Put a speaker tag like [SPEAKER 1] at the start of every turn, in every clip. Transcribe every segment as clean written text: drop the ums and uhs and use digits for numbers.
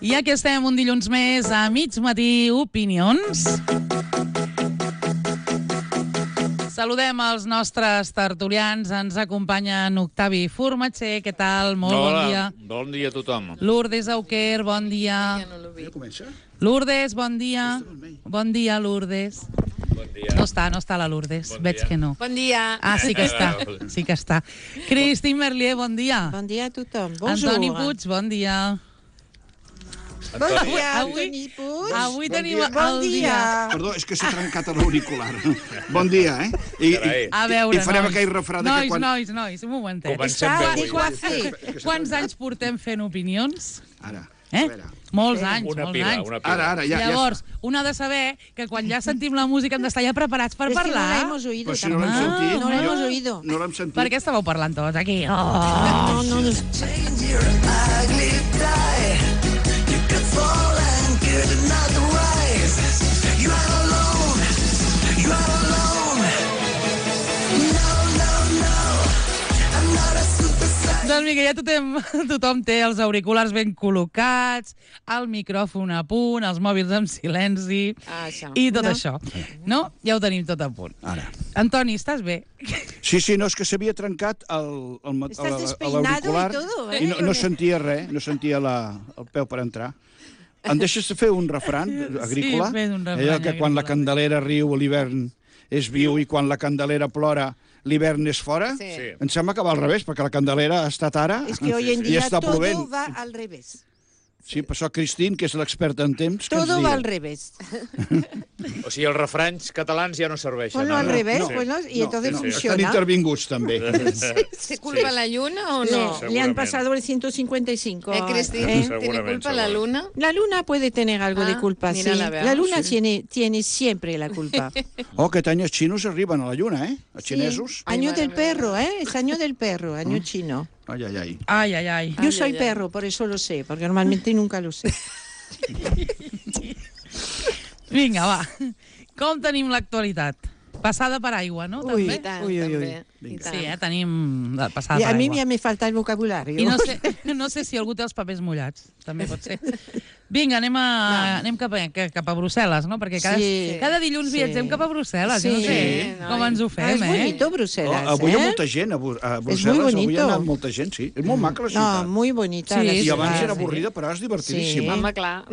[SPEAKER 1] I aquí estem un dilluns més a mig matí Opinions. Saludem els nostres tertulians. Ens acompanya en Octavi Formatger. Què tal? Molt bon dia.
[SPEAKER 2] Bon dia a tothom.
[SPEAKER 1] Lourdes Auquer, bon dia.
[SPEAKER 3] Ja comença?
[SPEAKER 1] Lourdes, bon dia. Bon dia, Lourdes.
[SPEAKER 2] Bon dia.
[SPEAKER 1] No està la Lourdes.
[SPEAKER 2] Bon
[SPEAKER 1] Veig
[SPEAKER 2] dia.
[SPEAKER 1] que no.
[SPEAKER 4] Bon dia.
[SPEAKER 1] Ah, sí que està. Sí que està. Christine Merlier, bon dia.
[SPEAKER 5] Bon dia a tothom. Bonjour.
[SPEAKER 1] Antoni Puig, bon dia.
[SPEAKER 5] Bon dia,
[SPEAKER 1] Avui-
[SPEAKER 5] Antoni Puig.
[SPEAKER 1] Avui tenim
[SPEAKER 5] Bon
[SPEAKER 1] el
[SPEAKER 5] dia.
[SPEAKER 3] Perdó, és que s'ha trencat l'auricular. Bon dia, eh?
[SPEAKER 2] Carai.
[SPEAKER 1] A veure,
[SPEAKER 3] I farem
[SPEAKER 1] nois.
[SPEAKER 3] aquell refrà de que quan...
[SPEAKER 1] Nois, un momentet.
[SPEAKER 2] Comencem
[SPEAKER 5] Està
[SPEAKER 2] bé
[SPEAKER 5] de
[SPEAKER 2] avui.
[SPEAKER 5] coiffé.
[SPEAKER 1] Quants anys portem fent opinions?
[SPEAKER 3] Ara,
[SPEAKER 1] Eh?
[SPEAKER 3] a veure.
[SPEAKER 1] Molts anys,
[SPEAKER 2] Una
[SPEAKER 1] molts
[SPEAKER 2] pila,
[SPEAKER 1] anys.
[SPEAKER 2] una pila.
[SPEAKER 3] Ara, ja...
[SPEAKER 1] Llavors, un ha de saber que quan ja sentim la música hem d'estar ja preparats per
[SPEAKER 5] Es que no la
[SPEAKER 1] parlar.
[SPEAKER 5] hemos oído.
[SPEAKER 3] Però si no l'hem
[SPEAKER 5] tampoco.
[SPEAKER 3] sentit...
[SPEAKER 5] No la hemos oído.
[SPEAKER 3] No l'hem sentit.
[SPEAKER 1] Per què estàveu parlant tots aquí? Oh.
[SPEAKER 5] No, no, no.
[SPEAKER 1] Doncs mira, ja tothom té els auriculars ben col·locats, el micròfon a punt, els mòbils en silenci
[SPEAKER 4] Això.
[SPEAKER 1] i tot
[SPEAKER 5] No.
[SPEAKER 1] això. No? Ja ho tenim tot a punt.
[SPEAKER 3] Ara.
[SPEAKER 1] Antoni, estàs bé?
[SPEAKER 3] Sí, no, és que s'havia trencat
[SPEAKER 5] Estàs despeinado
[SPEAKER 3] l'auricular
[SPEAKER 5] y todo, ¿eh?
[SPEAKER 3] i no sentia res, no sentia el peu per entrar. Em deixes fer un refran agrícola?
[SPEAKER 1] Sí, fes un refrany
[SPEAKER 3] Allò que quan la
[SPEAKER 1] agrícola.
[SPEAKER 3] Candelera riu, l'hivern és viu, i quan la Candelera plora, l'hivern és fora?
[SPEAKER 4] Sí.
[SPEAKER 2] Sí.
[SPEAKER 3] Em sembla que va al revés, perquè la Candelera ha estat ara
[SPEAKER 5] Es que hoy en
[SPEAKER 3] i
[SPEAKER 5] día
[SPEAKER 3] està
[SPEAKER 5] todo
[SPEAKER 3] plovent.
[SPEAKER 5] va al revés.
[SPEAKER 3] Sí, per això Christine, que és l'experta en temps, que ens
[SPEAKER 5] Todo va al
[SPEAKER 3] diga.
[SPEAKER 5] revés.
[SPEAKER 2] O sigui, els refranys catalans ja no serveixen.
[SPEAKER 5] Ponlo al
[SPEAKER 2] ara.
[SPEAKER 5] revés,
[SPEAKER 2] Sí.
[SPEAKER 5] bueno, y entonces
[SPEAKER 3] Estan
[SPEAKER 5] funciona.
[SPEAKER 3] intervinguts, també.
[SPEAKER 4] ¿Se culpa la luna o no?
[SPEAKER 5] Le han
[SPEAKER 2] Seguramente.
[SPEAKER 5] pasado el 155.
[SPEAKER 4] Cristina?
[SPEAKER 5] ¿eh?
[SPEAKER 4] ¿Tiene
[SPEAKER 2] Seguramente,
[SPEAKER 4] culpa la
[SPEAKER 2] seguro.
[SPEAKER 4] luna?
[SPEAKER 5] La luna puede tener algo de
[SPEAKER 4] Ah,
[SPEAKER 5] culpa, sí.
[SPEAKER 4] mira, la veamos.
[SPEAKER 5] La luna tiene siempre la culpa.
[SPEAKER 3] Oh, aquest any els xinos arriben a la lluna, eh? Els xinesos.
[SPEAKER 5] Sí. Año
[SPEAKER 4] Ay,
[SPEAKER 5] del
[SPEAKER 4] madre mía.
[SPEAKER 5] perro, ¿eh? Es año del perro, año chino.
[SPEAKER 3] Ai, ai, ai.
[SPEAKER 1] Ai, ai, ai.
[SPEAKER 5] Yo
[SPEAKER 4] Ay,
[SPEAKER 5] soy
[SPEAKER 4] ay, ay.
[SPEAKER 5] perro, por eso lo sé, porque normalmente nunca lo sé.
[SPEAKER 1] Vinga, va. Com tenim l'actualitat? Passada per aigua, no?
[SPEAKER 5] Ui.
[SPEAKER 1] També?
[SPEAKER 4] I tant,
[SPEAKER 5] Ui, ui, ui.
[SPEAKER 4] també. I
[SPEAKER 3] Vinga.
[SPEAKER 4] tant.
[SPEAKER 1] Sí, tenim la passada
[SPEAKER 5] Y
[SPEAKER 1] per
[SPEAKER 5] a mí
[SPEAKER 1] aigua.
[SPEAKER 5] ya me falta el vocabulario.
[SPEAKER 1] I no sé si algú té els papers mullats. També pot ser. Vinga, anem cap a Brussel·les, no? Perquè
[SPEAKER 5] Sí.
[SPEAKER 1] cada dilluns
[SPEAKER 5] Sí.
[SPEAKER 1] viatgem cap a Brussel·les. Jo no
[SPEAKER 5] Sí.
[SPEAKER 1] sé com ens ho
[SPEAKER 5] Ah,
[SPEAKER 1] fem,
[SPEAKER 5] es bonito Bruselas,
[SPEAKER 3] Oh, avui hi ha
[SPEAKER 5] ¿eh?
[SPEAKER 3] molta gent a Brussel·les.
[SPEAKER 5] muy
[SPEAKER 3] Avui
[SPEAKER 5] bonito.
[SPEAKER 3] ha anat molta gent, sí. És molt maca la
[SPEAKER 5] No,
[SPEAKER 3] ciutat.
[SPEAKER 5] muy bonita
[SPEAKER 1] Sí,
[SPEAKER 5] la
[SPEAKER 1] sí,
[SPEAKER 3] I
[SPEAKER 5] ciudad.
[SPEAKER 3] abans era
[SPEAKER 1] sí.
[SPEAKER 3] avorrida, però ara és divertidíssima.
[SPEAKER 5] Sí.
[SPEAKER 4] Home, clar.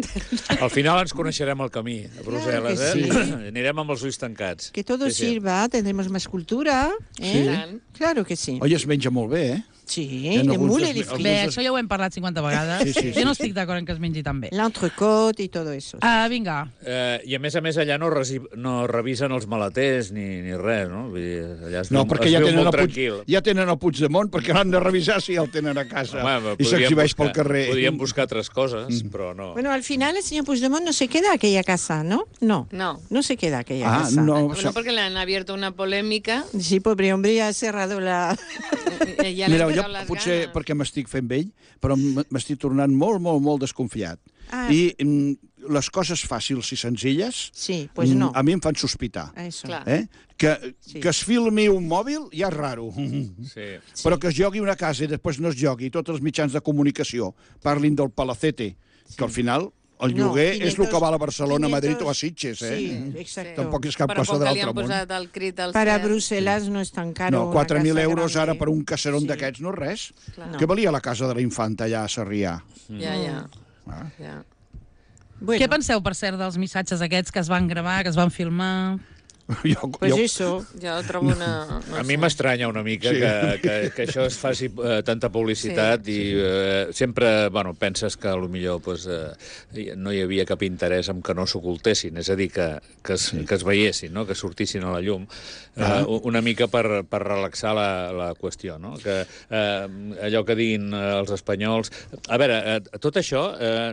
[SPEAKER 2] Al final ens coneixerem el camí a Brussel·les,
[SPEAKER 5] Claro que
[SPEAKER 2] eh? Anirem amb els ulls tancats.
[SPEAKER 5] Que todo
[SPEAKER 2] Sí, sí.
[SPEAKER 5] sirva, tendremos más cultura. ¿eh?
[SPEAKER 3] Sí.
[SPEAKER 4] Tant.
[SPEAKER 5] Claro que sí.
[SPEAKER 3] Oi, es menja molt bé, eh?
[SPEAKER 5] Sí,
[SPEAKER 3] En
[SPEAKER 5] de
[SPEAKER 3] alguns
[SPEAKER 5] mule
[SPEAKER 3] dels-
[SPEAKER 5] de frit.
[SPEAKER 1] Bé, això ja ho hem parlat 50 vegades.
[SPEAKER 3] Sí, sí,
[SPEAKER 1] Jo no
[SPEAKER 3] sí,
[SPEAKER 1] estic d'acord en que es mengi tan bé.
[SPEAKER 5] L'entrecôte y todo eso.
[SPEAKER 1] Vinga.
[SPEAKER 2] I a més allà no revisen els maleters ni res, no? Vull dir, allà es
[SPEAKER 3] No,
[SPEAKER 2] viu,
[SPEAKER 3] perquè
[SPEAKER 2] es
[SPEAKER 3] ja
[SPEAKER 2] viu
[SPEAKER 3] tenen,
[SPEAKER 2] molt
[SPEAKER 3] el
[SPEAKER 2] tranquil.
[SPEAKER 3] ja tenen el Puigdemont, perquè l'han de revisar si ja el tenen a casa.
[SPEAKER 2] Home,
[SPEAKER 3] I s'exhibeix pel
[SPEAKER 2] buscar-
[SPEAKER 3] carrer.
[SPEAKER 2] Podríem buscar altres coses, però no.
[SPEAKER 5] Bueno, al final el señor Puigdemont no se queda a aquella casa, ¿no? No.
[SPEAKER 4] No.
[SPEAKER 5] No se queda a aquella
[SPEAKER 3] Ah,
[SPEAKER 5] casa.
[SPEAKER 3] no.
[SPEAKER 4] Bueno, porque le han abierto una polémica.
[SPEAKER 5] Sí, pobre hombre, ya ha cerrado la...
[SPEAKER 4] Ya le
[SPEAKER 3] Mira,
[SPEAKER 4] han
[SPEAKER 3] jo
[SPEAKER 4] pegado las
[SPEAKER 3] potser
[SPEAKER 4] ganas.
[SPEAKER 3] perquè m'estic fent vell, però m'estic tornant molt desconfiat.
[SPEAKER 5] Ah.
[SPEAKER 3] I les coses fàcils i senzilles
[SPEAKER 5] Sí, pues no.
[SPEAKER 3] a mi em fan sospitar.
[SPEAKER 5] Eso.
[SPEAKER 4] Clar.
[SPEAKER 3] Que es filmi un mòbil ja és raro.
[SPEAKER 2] Sí.
[SPEAKER 3] Però que es jogui una casa i després no es jogui, tots els mitjans de comunicació parlin del Palacete, que al final el
[SPEAKER 5] No,
[SPEAKER 3] lloguer és el
[SPEAKER 5] 500,
[SPEAKER 3] que val a Barcelona,
[SPEAKER 5] 500,
[SPEAKER 3] Madrid o a Sitges, eh?
[SPEAKER 5] Sí, exacto.
[SPEAKER 3] Tampoc és cap
[SPEAKER 4] Però
[SPEAKER 3] cosa
[SPEAKER 4] com
[SPEAKER 3] de
[SPEAKER 4] que li
[SPEAKER 3] l'altre
[SPEAKER 4] han
[SPEAKER 3] món.
[SPEAKER 4] posat el crit al
[SPEAKER 5] Para
[SPEAKER 4] cel.
[SPEAKER 5] Bruselas no es tan caro.
[SPEAKER 3] No,
[SPEAKER 5] una
[SPEAKER 3] 4.000
[SPEAKER 5] casa
[SPEAKER 3] euros
[SPEAKER 5] grande.
[SPEAKER 3] ara per un caserón
[SPEAKER 5] Sí.
[SPEAKER 3] d'aquests no és res.
[SPEAKER 4] Clar.
[SPEAKER 3] Què valia la casa de la infanta allà a Sarrià?
[SPEAKER 4] Ja.
[SPEAKER 3] Ah.
[SPEAKER 4] Ja.
[SPEAKER 5] Bueno,
[SPEAKER 1] Què penseu, per cert, dels missatges aquests que es van gravar, que es van filmar?
[SPEAKER 5] pues eso.
[SPEAKER 4] Jo trobo una... No
[SPEAKER 2] A mi
[SPEAKER 4] sé.
[SPEAKER 2] m'estranya una mica
[SPEAKER 3] Sí.
[SPEAKER 2] que això es faci tanta publicitat i sempre penses que potser pues, no hi havia cap interès en que no s'ocultessin, és a dir, que es veiessin, no? Que sortissin a la llum, una mica per relaxar la qüestió, no? Que allò que diguin els espanyols... A veure, tot això,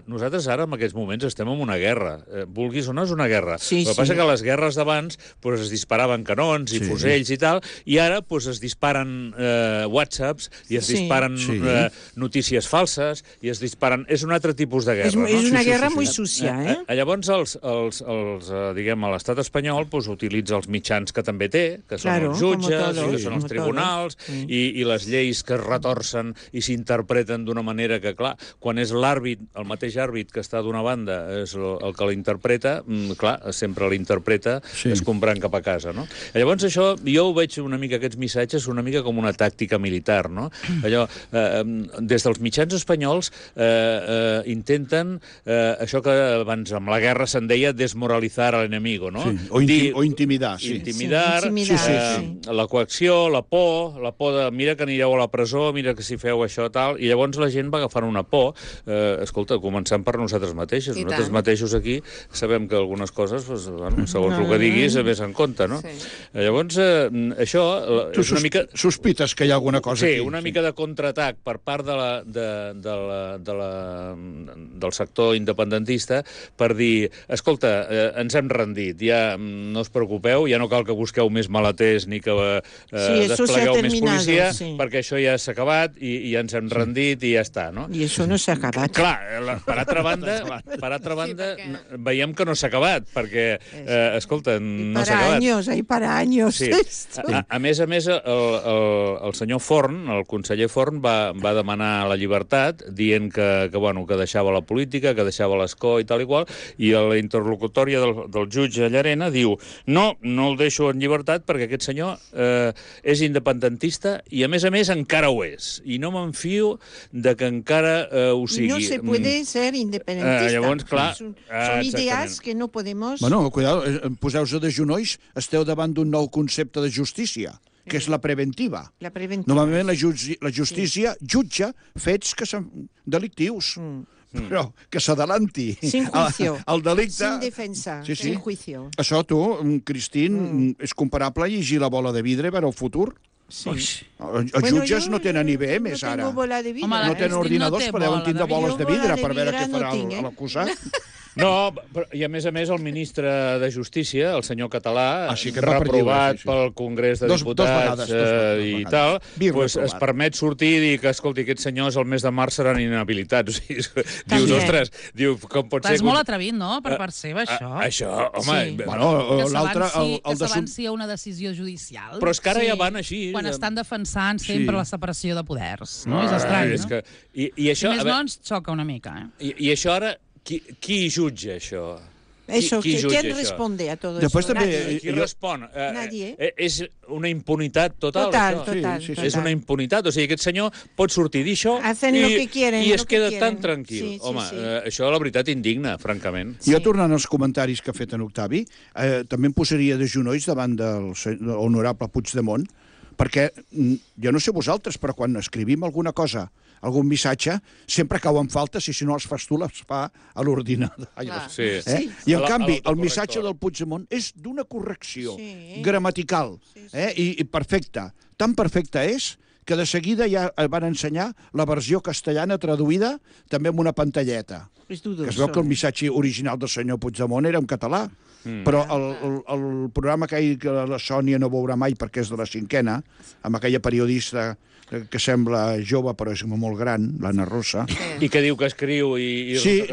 [SPEAKER 2] nosaltres ara en aquests moments estem en una guerra, vulguis o no és una guerra.
[SPEAKER 5] Sí,
[SPEAKER 2] El que
[SPEAKER 5] sí.
[SPEAKER 2] passa que les guerres d'abans pues, es disparaven canons i fusells i tal, i ara pues, es disparen whatsapps i es disparen notícies falses i es disparen... És un altre tipus de guerra, no?
[SPEAKER 5] És una guerra muy sucia,
[SPEAKER 2] Llavors, diguem, l'estat espanyol pues, utilitza els mitjans que també té, que són els jutges, que són els tribunals, i les lleis que es retorcen i s'interpreten d'una manera que, clar, quan és l'àrbit, el mateix àrbit que està d'una banda, és el que l'interpreta, clar, sempre l'interpreta escombrant cap a casa, no? Llavors, això, jo ho veig una mica, aquests missatges, una mica com una tàctica militar, no? Allò, des dels mitjans espanyols intenten això que abans amb la guerra se'n deia desmoralitzar a l'enemigo, no?
[SPEAKER 3] Sí. O intimidar, sí.
[SPEAKER 2] Intimidar, la coacció, la por de mira que anireu a la presó, mira que si feu això, tal, i llavors la gent va agafant una por, escolta, començant per nosaltres mateixos. Nosaltres mateixos aquí sabem que algunes coses, pues, bueno, segons el que diguis, més en compte, no? Llavors, això és una mica...
[SPEAKER 3] Sospites que hi ha alguna cosa aquí.
[SPEAKER 2] Sí, una mica de contraatac per part del sector independentista per dir, escolta, ens hem rendit, ja no us preocupeu, ja no cal que busqueu més maleters ni que desplegueu més policia, perquè això ja s'ha acabat i ja ens hem rendit i ja està, no?
[SPEAKER 5] I això no s'ha acabat.
[SPEAKER 2] Clar, per altra banda, veiem que no s'ha acabat, perquè, escolta, no s'ha acabat.
[SPEAKER 5] Para años.
[SPEAKER 2] Sí. A més, el senyor Forn, el conseller Forn, va demanar la llibertat, dient que deixava la política, que deixava l'escó i tal i qual, i a la interlocutòria del jutge Llarena diu no el deixo en llibertat perquè aquest senyor és independentista i, a més, encara ho és. I no m'enfio de que encara ho sigui.
[SPEAKER 5] No se puede ser independentista.
[SPEAKER 2] Llavors, clar...
[SPEAKER 5] Són idees que no podemos...
[SPEAKER 3] Bueno, cuidado, poseu-se de genolls, esteu davant d'un nou concepte de justícia, que és la preventiva.
[SPEAKER 5] La preventiva.
[SPEAKER 3] Normalment la justícia jutja fets que són delictius. Però que s'adelanti.
[SPEAKER 5] Sin juicio.
[SPEAKER 3] El delicte...
[SPEAKER 5] Sin defensa. Sin juicio.
[SPEAKER 3] Això, tu, Cristín, és comparable a llegir la bola de vidre per al futur?
[SPEAKER 5] Sí.
[SPEAKER 3] Els jutges no tenen IBMs, ara.
[SPEAKER 5] No tengo bola de vidre.
[SPEAKER 3] No tenen ordinadors, però deuen tindre boles de vidre per veure què farà l'acusat.
[SPEAKER 2] No, i a més, el ministre de Justícia, el senyor Català,
[SPEAKER 3] que
[SPEAKER 2] reprovat pel Congrés de Diputats i tal, es permet sortir i dir que, escolti, aquests senyors el mes de març seran inhabilitats. Dius, ostres, com pot ser...
[SPEAKER 1] És molt atrevit, no?, per part seva, això.
[SPEAKER 2] Això, home...
[SPEAKER 1] Que s'avanci a una decisió judicial.
[SPEAKER 2] Però és que ara ja van així.
[SPEAKER 1] Quan estan defensant sempre la separació de poders. No? És estrany, no?
[SPEAKER 2] I això...
[SPEAKER 1] Si més no, ens xoca una mica,
[SPEAKER 2] I això ara... Qui jutja això?
[SPEAKER 5] ¿Quién responde a todo
[SPEAKER 3] Después
[SPEAKER 5] eso?
[SPEAKER 3] Nadie.
[SPEAKER 2] Qui respon?
[SPEAKER 5] Nadie.
[SPEAKER 2] És una impunitat total,
[SPEAKER 5] Total.
[SPEAKER 2] És una impunitat. O sigui, aquest senyor pot sortir d'això i es queda tan tranquil. Home, això, la veritat, indigna, francament.
[SPEAKER 3] Jo, tornant als comentaris que ha fet en Octavi, també em posaria de genolls davant del honorable Puigdemont, perquè jo no sé vosaltres, però quan escrivim alguna cosa, algun missatge, sempre cau en falta si no els fas tu, les fa a l'ordinador. I, en canvi, el missatge del Puigdemont és d'una correcció gramatical i perfecta. Tan perfecta és que de seguida ja van ensenyar la versió castellana traduïda també amb una pantalleta. Que es veu que el missatge original del senyor Puigdemont era en català. Però el programa que la Sònia no veurà mai perquè és de la cinquena, amb aquella periodista que sembla jove però és molt gran, l'Anna Rosa.
[SPEAKER 2] I que diu que escriu i...
[SPEAKER 3] Sí,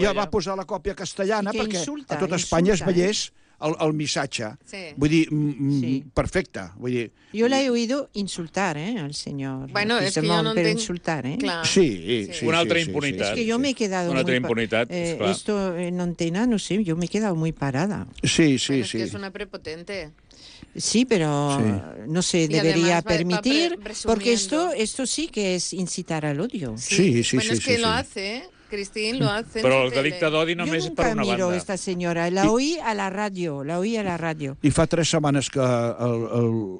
[SPEAKER 3] ja va posar la còpia castellana perquè a tot Espanya es veiés el missatge. Vull dir, perfecte.
[SPEAKER 5] Yo la he oído insultar, al señor.
[SPEAKER 4] Bueno, es que yo no
[SPEAKER 5] pero insultar,
[SPEAKER 4] Claro.
[SPEAKER 3] Sí.
[SPEAKER 2] Una altra impunitat.
[SPEAKER 5] Es que yo me he quedado
[SPEAKER 2] una altra impunitat, esclar.
[SPEAKER 5] Esto en antena, no sé, yo me he quedado muy parada.
[SPEAKER 3] Sí.
[SPEAKER 4] Bueno, es que es una prepotente.
[SPEAKER 5] Sí, pero no se debería permitir, porque esto sí que es incitar al odio.
[SPEAKER 4] Sí. Bueno, es que lo hace, Cristín, lo hace.
[SPEAKER 2] Però el delicte d'odi només és per una banda.
[SPEAKER 5] Yo nunca miro esta señora, la oí a la radio.
[SPEAKER 3] I fa 3 setmanes que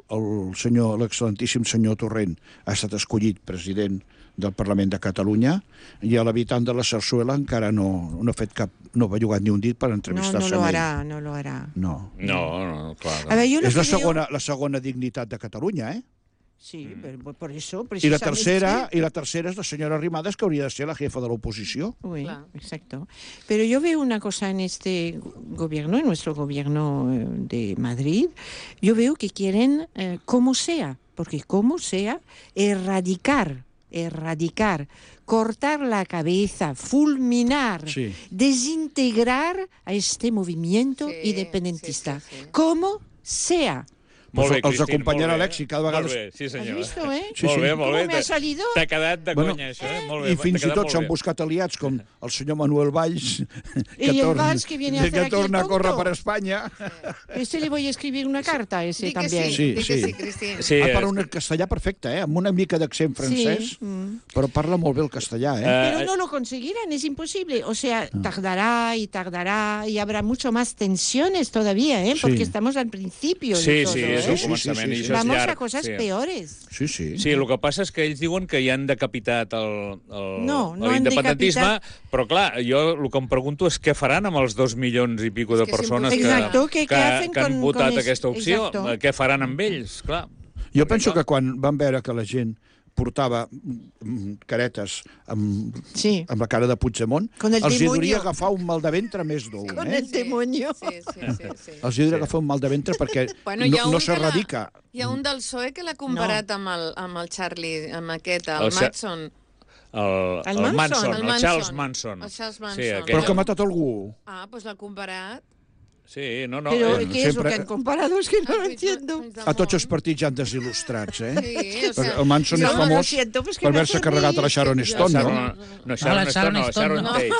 [SPEAKER 3] l'excel·lentíssim senyor Torrent ha estat escollit president del Parlament de Catalunya i l'habitant de la Sarsuela encara no ha fet cap, no ha bellugat ni un dit per entrevistar-se amb ell.
[SPEAKER 5] No lo hará.
[SPEAKER 2] No, clar.
[SPEAKER 3] És la segona dignitat de Catalunya,
[SPEAKER 5] Sí, por eso,
[SPEAKER 3] I la
[SPEAKER 5] precisamente.
[SPEAKER 3] tercera es la senyora Arrimadas, que hauria de ser la jefa de la oposició.
[SPEAKER 5] Sí, exacto. Pero yo veo una cosa en este gobierno, en nuestro gobierno de Madrid, yo veo que quieren, como sea, porque como sea, erradicar, cortar la cabeza, fulminar, desintegrar a este movimiento independentista. Como sea.
[SPEAKER 2] Molt bé,
[SPEAKER 3] Els acompanyarà l'èxit cada vegada.
[SPEAKER 2] Molt bé, sí senyora.
[SPEAKER 5] Has visto, eh?
[SPEAKER 3] Sí,
[SPEAKER 2] Molt bé, molt bé.
[SPEAKER 5] ¿Cómo me ha salido?
[SPEAKER 2] T'ha quedat de conya, això, eh? Molt bé.
[SPEAKER 3] I fins i tot s'han buscat aliats, com el senyor Manuel Valls, que torna a córrer per Espanya.
[SPEAKER 5] Este le voy a escribir una carta a ese también.
[SPEAKER 3] Sí,
[SPEAKER 4] Cristín.
[SPEAKER 2] Sí,
[SPEAKER 3] parla un castellà perfecte, amb una mica d'accent francès, però parla molt bé el castellà,
[SPEAKER 5] Pero no lo conseguirán, es imposible. O sea, tardará, y habrá mucho más tensiones todavía, porque estamos al principio de todo.
[SPEAKER 2] Sí, és el començament, i això és
[SPEAKER 5] Vamos
[SPEAKER 2] llarg.
[SPEAKER 5] a cosas peores.
[SPEAKER 3] Sí.
[SPEAKER 2] Sí, el que passa és que ells diuen que hi han decapitat
[SPEAKER 5] No
[SPEAKER 2] l'independentisme,
[SPEAKER 5] han
[SPEAKER 2] però clar, jo el que em pregunto és què faran amb els 2 milions i pico de persones que han votat aquesta opció. Què faran amb ells? Clar.
[SPEAKER 3] Jo penso que quan van veure que la gent portava caretes amb la cara de Puigdemont, els hi hauria agafar un mal de ventre més dur.
[SPEAKER 5] Con el demonio.
[SPEAKER 4] Sí.
[SPEAKER 3] Els hi hauria agafar un mal de ventre perquè no s'erradica.
[SPEAKER 4] Hi ha un del PSOE que l'ha comparat amb el Charlie, amb aquest, el Manson.
[SPEAKER 2] El Charles Manson.
[SPEAKER 3] Però que ha matat algú.
[SPEAKER 4] Doncs l'ha comparat.
[SPEAKER 2] Sí, no.
[SPEAKER 5] Pero ¿qué es lo que han comparado? Es que no lo entiendo.
[SPEAKER 3] A tots els partits ja han desil·lustrats,
[SPEAKER 4] Sí, o sea...
[SPEAKER 3] El Manson és famós per haver-se carregat a la Sharon Stone, no?
[SPEAKER 2] No, Sharon Tate.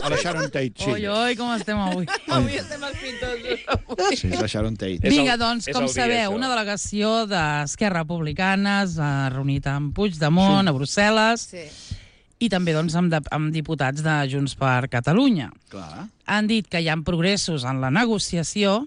[SPEAKER 3] A la Sharon Tate, sí.
[SPEAKER 1] Oi, com estem avui.
[SPEAKER 4] Avui estem els pintors.
[SPEAKER 3] Sí, la Sharon Tate.
[SPEAKER 1] Vinga, doncs, com sabeu, una delegació d'Esquerra Republicana s'ha reunit amb Puigdemont a Brussel·les i també doncs, amb diputats de Junts per Catalunya.
[SPEAKER 3] Clar.
[SPEAKER 1] Han dit que hi ha progressos en la negociació,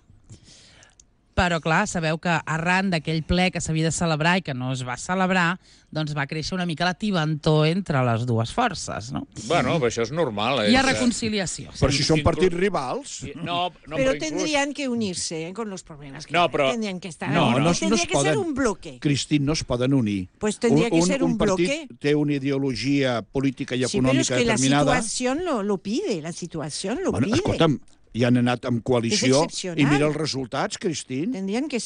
[SPEAKER 1] però, clar, sabeu que arran d'aquell ple que s'havia de celebrar i que no es va celebrar, doncs va créixer una mica la tibantor entre les dues forces, no?
[SPEAKER 2] Bueno, això és normal.
[SPEAKER 1] Hi ha reconciliació.
[SPEAKER 3] Però si són partits rivals...
[SPEAKER 5] Pero tendrían que unirse con los problemas que tendrían que estar.
[SPEAKER 3] Tendría
[SPEAKER 5] que ser un bloque.
[SPEAKER 3] Cristín, no es poden unir.
[SPEAKER 5] Pues tendría que ser un bloque.
[SPEAKER 3] Un partit té una ideologia política i econòmica
[SPEAKER 5] determinada. Sí, però és que la situació lo pide,
[SPEAKER 3] Bueno, escolta'm, i han anat amb coalició i mira els resultats, Cristín.
[SPEAKER 5] Tendría que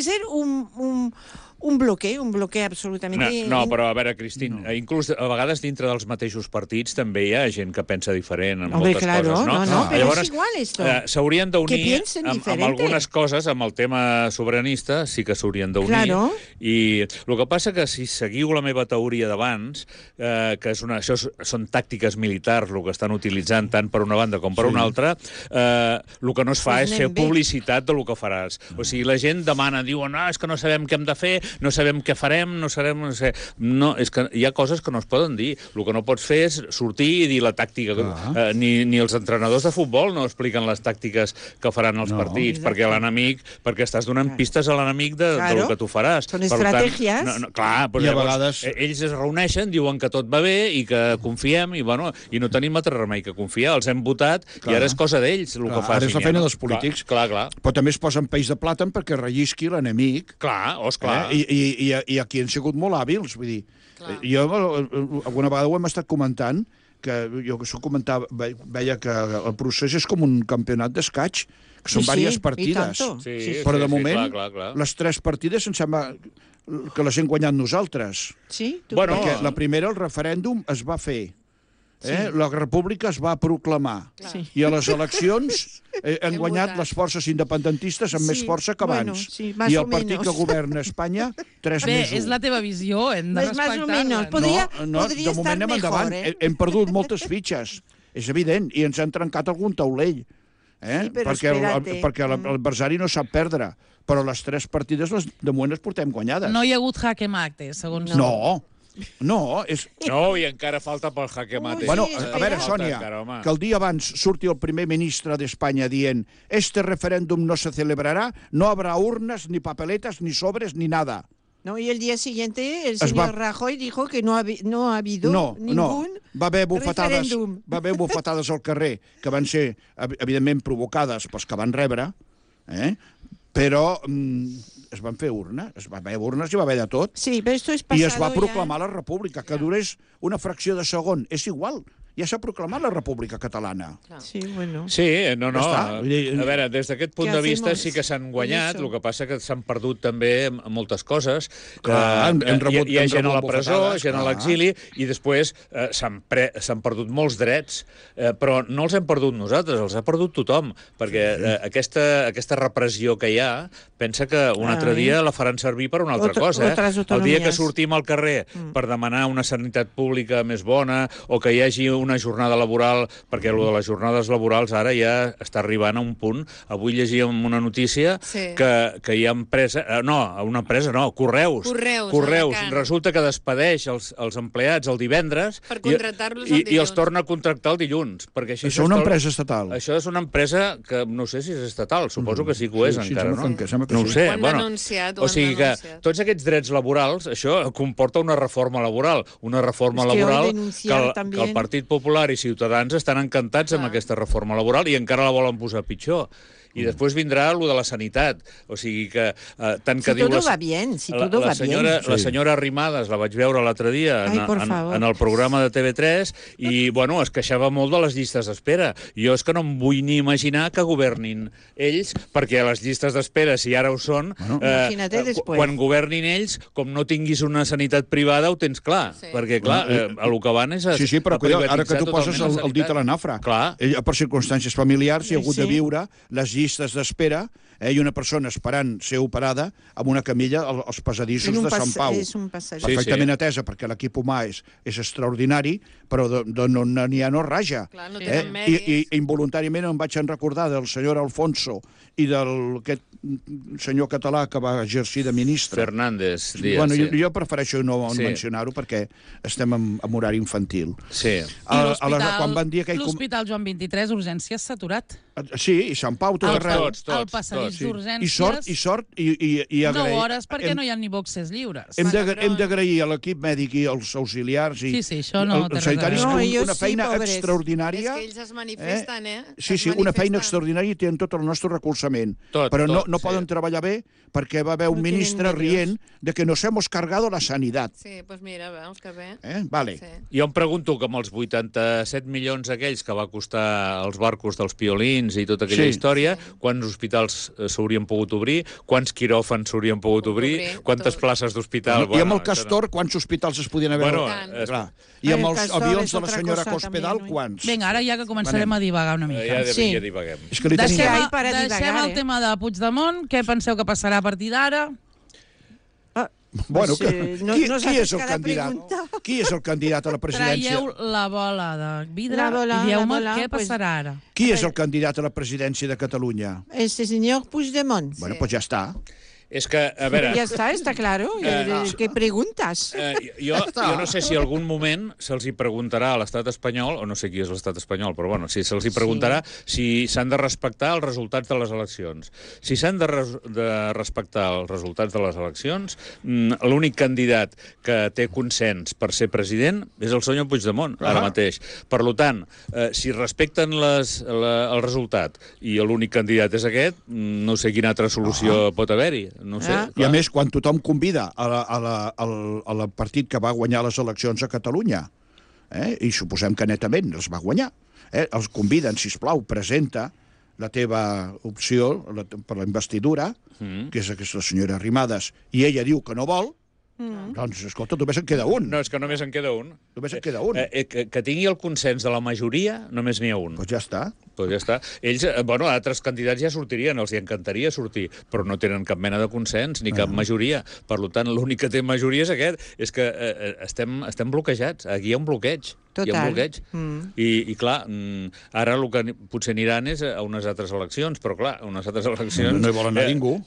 [SPEAKER 5] ser un bloque absolutamente...
[SPEAKER 2] No, però a veure, Cristín, inclús a vegades dintre dels mateixos partits també hi ha gent que pensa diferent en moltes coses, no?
[SPEAKER 5] No, però és igual esto.
[SPEAKER 2] S'haurien d'unir amb algunes coses, amb el tema sobiranista, sí que s'haurien d'unir. I el que passa que si seguiu la meva teoria d'abans, que això són tàctiques militars, el que estan utilitzant tant per una banda com per una altra, el que no es fa és fer publicitat del que faràs. O sigui, la gent demana, diuen, és que no sabem què hem de fer, no sabem què farem, no sé. No, és que hi ha coses que no es poden dir. El que no pots fer és sortir i dir la tàctica. Ni els entrenadors de futbol no expliquen les tàctiques que faran els partits, perquè estàs donant pistes a l'enemic del que tu faràs.
[SPEAKER 5] Són estratègies.
[SPEAKER 3] Clar, i a vegades...
[SPEAKER 2] Ells es reuneixen, diuen que tot va bé i que confiem, i no tenim altre remei que confiar. Els hem votat i ara és cosa d'ells el que facin.
[SPEAKER 3] Ara és la feina dels polítics.
[SPEAKER 2] Clar.
[SPEAKER 3] Però també es posen peix de plàtan perquè rellisqui l'enemic.
[SPEAKER 2] Clar, esclar.
[SPEAKER 3] I aquí han sigut molt hàbils, vull dir. Jo alguna vegada ho hem estat comentant, que jo veia que el procés és com un campionat d'escaig, que són diverses partides. Però de moment, les 3 partides em sembla que les hem guanyat nosaltres.
[SPEAKER 5] Sí?
[SPEAKER 3] Perquè la primera, el referèndum, es va fer. La república es va proclamar. I a les eleccions han guanyat les forces independentistes amb més força que abans. I el partit que governa Espanya, 3 més 1.
[SPEAKER 1] Bé, és la teva visió, hem de respectar-la.
[SPEAKER 3] No, de moment anem endavant. Hem perdut moltes fitxes, és evident, i ens han trencat algun taulell. Perquè l'adversari no sap perdre. Però les 3 partides, de moment, les portem guanyades.
[SPEAKER 1] No hi ha hagut jaque mate, segons...
[SPEAKER 3] No,
[SPEAKER 2] i encara falta pel jaque mate.
[SPEAKER 3] Bueno, a veure, Sònia, que el dia abans surti el primer ministre d'Espanya dient este referéndum no se celebrará, no habrá urnas, ni papeletas, ni sobres, ni nada.
[SPEAKER 5] No, y el día siguiente el señor Rajoy dijo que no ha habido ningún referéndum.
[SPEAKER 3] Va haver bufetades al carrer, que van ser, evidentment, provocades pels que van rebre, però es van fer urnes, es va haver urnes i va haver de tot.
[SPEAKER 5] Sí, pero esto es
[SPEAKER 3] I
[SPEAKER 5] pasado
[SPEAKER 3] es va
[SPEAKER 5] ya.
[SPEAKER 3] proclamar la república, que durés una fracció de segon. És igual, ja s'ha proclamat la república catalana.
[SPEAKER 5] Sí, bueno.
[SPEAKER 2] Sí, no.
[SPEAKER 3] Ja està.
[SPEAKER 2] A veure, des d'aquest punt
[SPEAKER 5] Què
[SPEAKER 2] de vista
[SPEAKER 5] hacemos
[SPEAKER 2] sí que s'han guanyat,
[SPEAKER 5] con eso?
[SPEAKER 2] el que passa que s'han perdut també moltes coses.
[SPEAKER 3] Clar, hem rebut-
[SPEAKER 2] hi ha
[SPEAKER 3] hem
[SPEAKER 2] gent a la
[SPEAKER 3] rebut
[SPEAKER 2] presó,
[SPEAKER 3] bofetades,
[SPEAKER 2] gent a
[SPEAKER 3] clar.
[SPEAKER 2] l'exili, i després s'han perdut molts drets, però no els hem perdut nosaltres, els ha perdut tothom, perquè aquesta repressió que hi ha, pensa que un altre dia la faran servir per una altra cosa.
[SPEAKER 5] Otras
[SPEAKER 2] El dia que
[SPEAKER 5] autonomías.
[SPEAKER 2] sortim al carrer per demanar una sanitat pública més bona o que hi hagi una jornada laboral, perquè el de les jornades laborals ara ja està arribant a un punt. Avui llegíem una notícia que hi ha Correus.
[SPEAKER 4] Correus,
[SPEAKER 2] Resulta que despedeix els empleats el divendres
[SPEAKER 4] Per contractar-los el
[SPEAKER 2] i els
[SPEAKER 4] dilluns.
[SPEAKER 2] torna a contractar el dilluns. Perquè
[SPEAKER 3] Això és una empresa estatal.
[SPEAKER 2] Això és una empresa que no sé si és estatal, suposo que sí que ho és
[SPEAKER 3] Sí,
[SPEAKER 2] encara,
[SPEAKER 3] sembla
[SPEAKER 2] no?
[SPEAKER 3] que sembla que
[SPEAKER 2] No ho
[SPEAKER 3] sí.
[SPEAKER 2] sé.
[SPEAKER 4] Ho han denunciat,
[SPEAKER 2] O sigui que
[SPEAKER 4] denunciat.
[SPEAKER 2] tots aquests drets laborals, això comporta una reforma laboral. Una reforma
[SPEAKER 5] És que
[SPEAKER 2] laboral
[SPEAKER 5] hoy
[SPEAKER 2] que
[SPEAKER 5] denunciar
[SPEAKER 2] el
[SPEAKER 5] también.
[SPEAKER 2] Partit Popular i Ciutadans estan encantats amb aquesta reforma laboral i encara la volen posar pitjor. I després vindrà lo de la sanitat. O sigui que tant que
[SPEAKER 5] Si
[SPEAKER 2] diu...
[SPEAKER 5] todo va bien, si todo va bien.
[SPEAKER 2] La senyora Arrimadas la vaig veure l'altre dia
[SPEAKER 5] Ai, por favor.
[SPEAKER 2] en el programa de TV3 i, bueno, es queixava molt de les llistes d'espera. Jo és que no em vull ni imaginar que governin ells, perquè les llistes d'espera, si ara ho són,
[SPEAKER 5] Imagínate después.
[SPEAKER 2] quan governin ells, com no tinguis una sanitat privada, ho tens clar.
[SPEAKER 4] Sí.
[SPEAKER 2] Perquè, clar, a lo que van és a
[SPEAKER 3] Sí, però cuidado, ara que
[SPEAKER 2] privatitzar
[SPEAKER 3] tu poses
[SPEAKER 2] totalment
[SPEAKER 3] el dit a la
[SPEAKER 2] sanitat.
[SPEAKER 3] nafra.
[SPEAKER 2] Clar.
[SPEAKER 3] Ell, per circumstàncies familiars, hi ha hagut de
[SPEAKER 5] Sí.
[SPEAKER 3] viure les llistes d'espera i una persona esperant ser operada amb una camilla als passadissos
[SPEAKER 5] En un
[SPEAKER 3] de Sant Pau.
[SPEAKER 5] és un passadís.
[SPEAKER 2] Sí,
[SPEAKER 3] Perfectament atesa, perquè l'equip humà és extraordinari, però n'hi ha no raja.
[SPEAKER 4] Clar, no tenen mèrits.
[SPEAKER 3] I involuntàriament em vaig recordar del senyor Alfonso i d'aquest senyor català que va exercir de ministre.
[SPEAKER 2] Fernández Díaz,
[SPEAKER 3] Bueno,
[SPEAKER 2] sí.
[SPEAKER 3] jo prefereixo no
[SPEAKER 2] Sí.
[SPEAKER 3] mencionar-ho perquè estem en horari infantil.
[SPEAKER 2] Sí.
[SPEAKER 3] Quan van dir aquell...
[SPEAKER 1] L'Hospital Joan 23, urgències, s'ha aturat.
[SPEAKER 3] Sí, i Sant Pau, tot arreu.
[SPEAKER 1] El passadís d'urgències...
[SPEAKER 3] I
[SPEAKER 1] 9
[SPEAKER 3] agrair...
[SPEAKER 1] hores perquè no hi ha ni boxes lliures.
[SPEAKER 3] Hem d'agrair a l'equip mèdic i als auxiliars i
[SPEAKER 1] Sí, això no té
[SPEAKER 3] els sanitaris
[SPEAKER 1] res a
[SPEAKER 5] veure. No,
[SPEAKER 3] que una
[SPEAKER 5] ells sí,
[SPEAKER 3] feina
[SPEAKER 5] pobres.
[SPEAKER 3] extraordinària.
[SPEAKER 4] És que ells es manifesten,
[SPEAKER 3] Sí,
[SPEAKER 4] Es
[SPEAKER 3] una feina
[SPEAKER 4] manifesten.
[SPEAKER 3] extraordinària i tenen tot el nostre recolzament.
[SPEAKER 2] Tot,
[SPEAKER 3] Però no
[SPEAKER 2] sí.
[SPEAKER 3] poden treballar bé perquè va haver un
[SPEAKER 5] No tienen
[SPEAKER 3] ministre
[SPEAKER 5] medios.
[SPEAKER 3] rient de que nos hemos cargado la sanidad.
[SPEAKER 4] Sí, pues mira, veus que bé.
[SPEAKER 3] Vale.
[SPEAKER 4] Sí.
[SPEAKER 2] Jo em pregunto que amb els 87 milions aquells que va costar els barcos dels piolins i tota aquella
[SPEAKER 3] Sí.
[SPEAKER 2] història, quants hospitals s'haurien pogut obrir, quants quiròfans s'haurien pogut obrir, quantes
[SPEAKER 4] tot.
[SPEAKER 2] places d'hospital...
[SPEAKER 3] I amb el Castor, quants hospitals es podien haver...
[SPEAKER 2] Bueno,
[SPEAKER 3] Clar. I amb
[SPEAKER 5] El
[SPEAKER 3] els
[SPEAKER 5] Castor
[SPEAKER 3] avions
[SPEAKER 5] és
[SPEAKER 3] de la
[SPEAKER 5] otra
[SPEAKER 3] senyora
[SPEAKER 5] cosa
[SPEAKER 3] Cospedal,
[SPEAKER 5] també, no?
[SPEAKER 3] quants?
[SPEAKER 1] Vinga, ara ja que començarem a divagar una mica.
[SPEAKER 2] Ja divaguem.
[SPEAKER 3] És que li tenim...
[SPEAKER 5] Deixem-
[SPEAKER 1] Deixem,
[SPEAKER 5] Ai, para
[SPEAKER 1] deixem
[SPEAKER 5] divagar,
[SPEAKER 1] el tema de Puigdemont. Què penseu que passarà a partir d'ara?
[SPEAKER 3] Bueno,
[SPEAKER 5] Pues, nos
[SPEAKER 3] qui
[SPEAKER 5] haces
[SPEAKER 3] és el
[SPEAKER 5] cada
[SPEAKER 3] candidat?
[SPEAKER 5] pregunta.
[SPEAKER 3] Qui és el candidat a la presidència?
[SPEAKER 1] Traieu la bola de vidre
[SPEAKER 5] La bola,
[SPEAKER 1] i dieu-me
[SPEAKER 5] la bola,
[SPEAKER 1] què
[SPEAKER 5] pues-
[SPEAKER 1] passarà ara.
[SPEAKER 3] Qui és el candidat a la presidència de Catalunya?
[SPEAKER 5] Este señor Puigdemont.
[SPEAKER 3] Bueno, pues ja està.
[SPEAKER 2] És que, a veure...
[SPEAKER 5] Ya está claro. ¿Qué preguntas?
[SPEAKER 2] Jo no sé si en algun moment se'ls hi preguntarà a l'estat espanyol, o no sé qui és l'estat espanyol, però bueno, si se'ls hi preguntarà si s'han de respectar els resultats de les eleccions. Si s'han de respectar els resultats de les eleccions, l'únic candidat que té consens per ser president és el senyor Puigdemont, ara mateix. Per tant, si respecten el resultat i l'únic candidat és aquest, no sé quina altra solució pot haver-hi. No sé.
[SPEAKER 3] I a més, quan tothom convida al partit que va guanyar les eleccions a Catalunya, i suposem que netament els va guanyar, els conviden, sisplau, presenta la teva opció per la investidura, que és aquesta senyora Arrimadas, i ella diu que no vol, doncs, escolta, només en queda un.
[SPEAKER 2] No, és que només en queda un.
[SPEAKER 3] Només en queda un.
[SPEAKER 2] Que tingui el consens de la majoria, només n'hi ha un.
[SPEAKER 3] Doncs ja està.
[SPEAKER 2] Pues ja està. Ells, bueno, altres candidats ja sortirien, els hi encantaria sortir, però no tenen cap mena de consens ni cap majoria. Per tant, l'únic que té majoria és aquest. És que estem bloquejats. Aquí hi ha un bloqueig.
[SPEAKER 5] Total.
[SPEAKER 2] Hi ha un bloqueig. I clar, ara el que potser aniran és a unes altres eleccions, però clar, unes altres eleccions...
[SPEAKER 3] No hi vol anar ningú.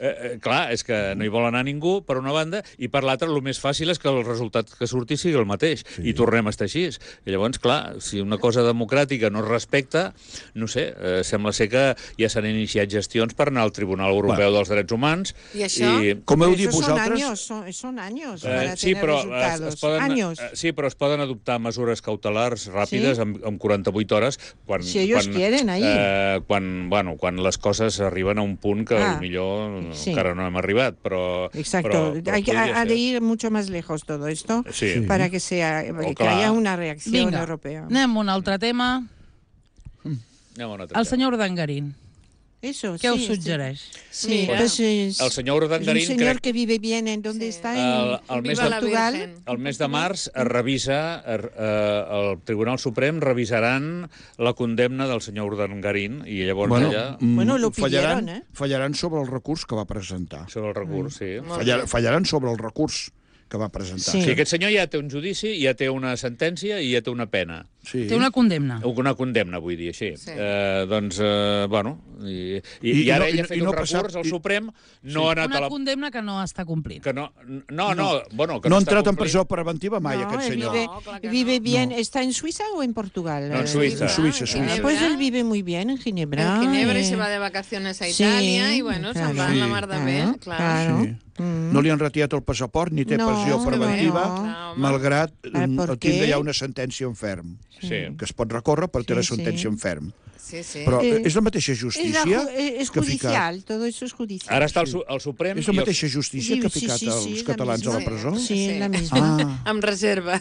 [SPEAKER 2] Clar, és que no hi vol anar ningú, per una banda, i per l'altra, el més fàcil és que el resultat que surti sigui el mateix, i tornem a estar així. I llavors, clar, si una cosa democràtica no es respecta, no sé, sembla ser que ja s'han iniciat gestions per anar al Tribunal Europeu dels Drets Humans.
[SPEAKER 4] I això?
[SPEAKER 3] Com heu
[SPEAKER 5] Pero
[SPEAKER 3] dit
[SPEAKER 5] eso
[SPEAKER 3] vosaltres...
[SPEAKER 5] son años para
[SPEAKER 2] Sí,
[SPEAKER 5] tener
[SPEAKER 2] però
[SPEAKER 5] resultados.
[SPEAKER 2] es poden,
[SPEAKER 5] Años.
[SPEAKER 2] sí, però es poden adoptar mesures cautelars escolars ràpides en 48 hores.
[SPEAKER 5] Si ellos quieren, ahí.
[SPEAKER 2] Quan les coses arriben a un punt que millor encara no hem arribat, però...
[SPEAKER 5] Exacto. Ha de ir mucho más lejos todo esto para que haya una reacción europea.
[SPEAKER 1] Anem a un altre tema. El senyor Urdangarín.
[SPEAKER 5] Eso,
[SPEAKER 1] ¿Qué os suggereix?
[SPEAKER 5] Sí, pues
[SPEAKER 2] el senyor Urdangarín...
[SPEAKER 5] Es un señor que vive bien en donde está, en Portugal.
[SPEAKER 2] El mes de març es revisa, el Tribunal Suprem revisaran la condemna del senyor Urdangarín i llavors
[SPEAKER 5] lo pillaron,
[SPEAKER 3] fallaran sobre el recurs que va presentar.
[SPEAKER 2] Sobre el recurs, sí.
[SPEAKER 3] Fallaran sobre el recurs que va presentar.
[SPEAKER 2] Sí, aquest senyor ja té un judici, ja té una sentència i ja té una pena.
[SPEAKER 3] Sí.
[SPEAKER 1] Té una condemna.
[SPEAKER 2] Una condemna, vull dir, així. Bueno, i ara ell ha fet un recurs al Suprem, no ha anat a la...
[SPEAKER 1] Una condemna que no està complint.
[SPEAKER 2] Que no
[SPEAKER 3] ha entrat en presó preventiva mai, aquest senyor.
[SPEAKER 5] Vive bien. ¿Está en Suiza o en Portugal?
[SPEAKER 2] No, en Suiza.
[SPEAKER 5] Pues él vive muy bien en Ginebra.
[SPEAKER 4] En Ginebra y se va de vacaciones a Italia y bueno, se'n va en la mar de bé, claro.
[SPEAKER 3] No li han retirat el passaport ni té pressió preventiva, malgrat tindre ja una sentència en ferm, que es pot recórrer per tenir la sentència en ferm. Però és la mateixa justícia
[SPEAKER 5] és judicial, tot això és judicial.
[SPEAKER 2] Ara està el Suprem...
[SPEAKER 3] És la mateixa justícia que ha ficat els catalans a la presó?
[SPEAKER 5] Sí, la misma.
[SPEAKER 4] Amb reserva.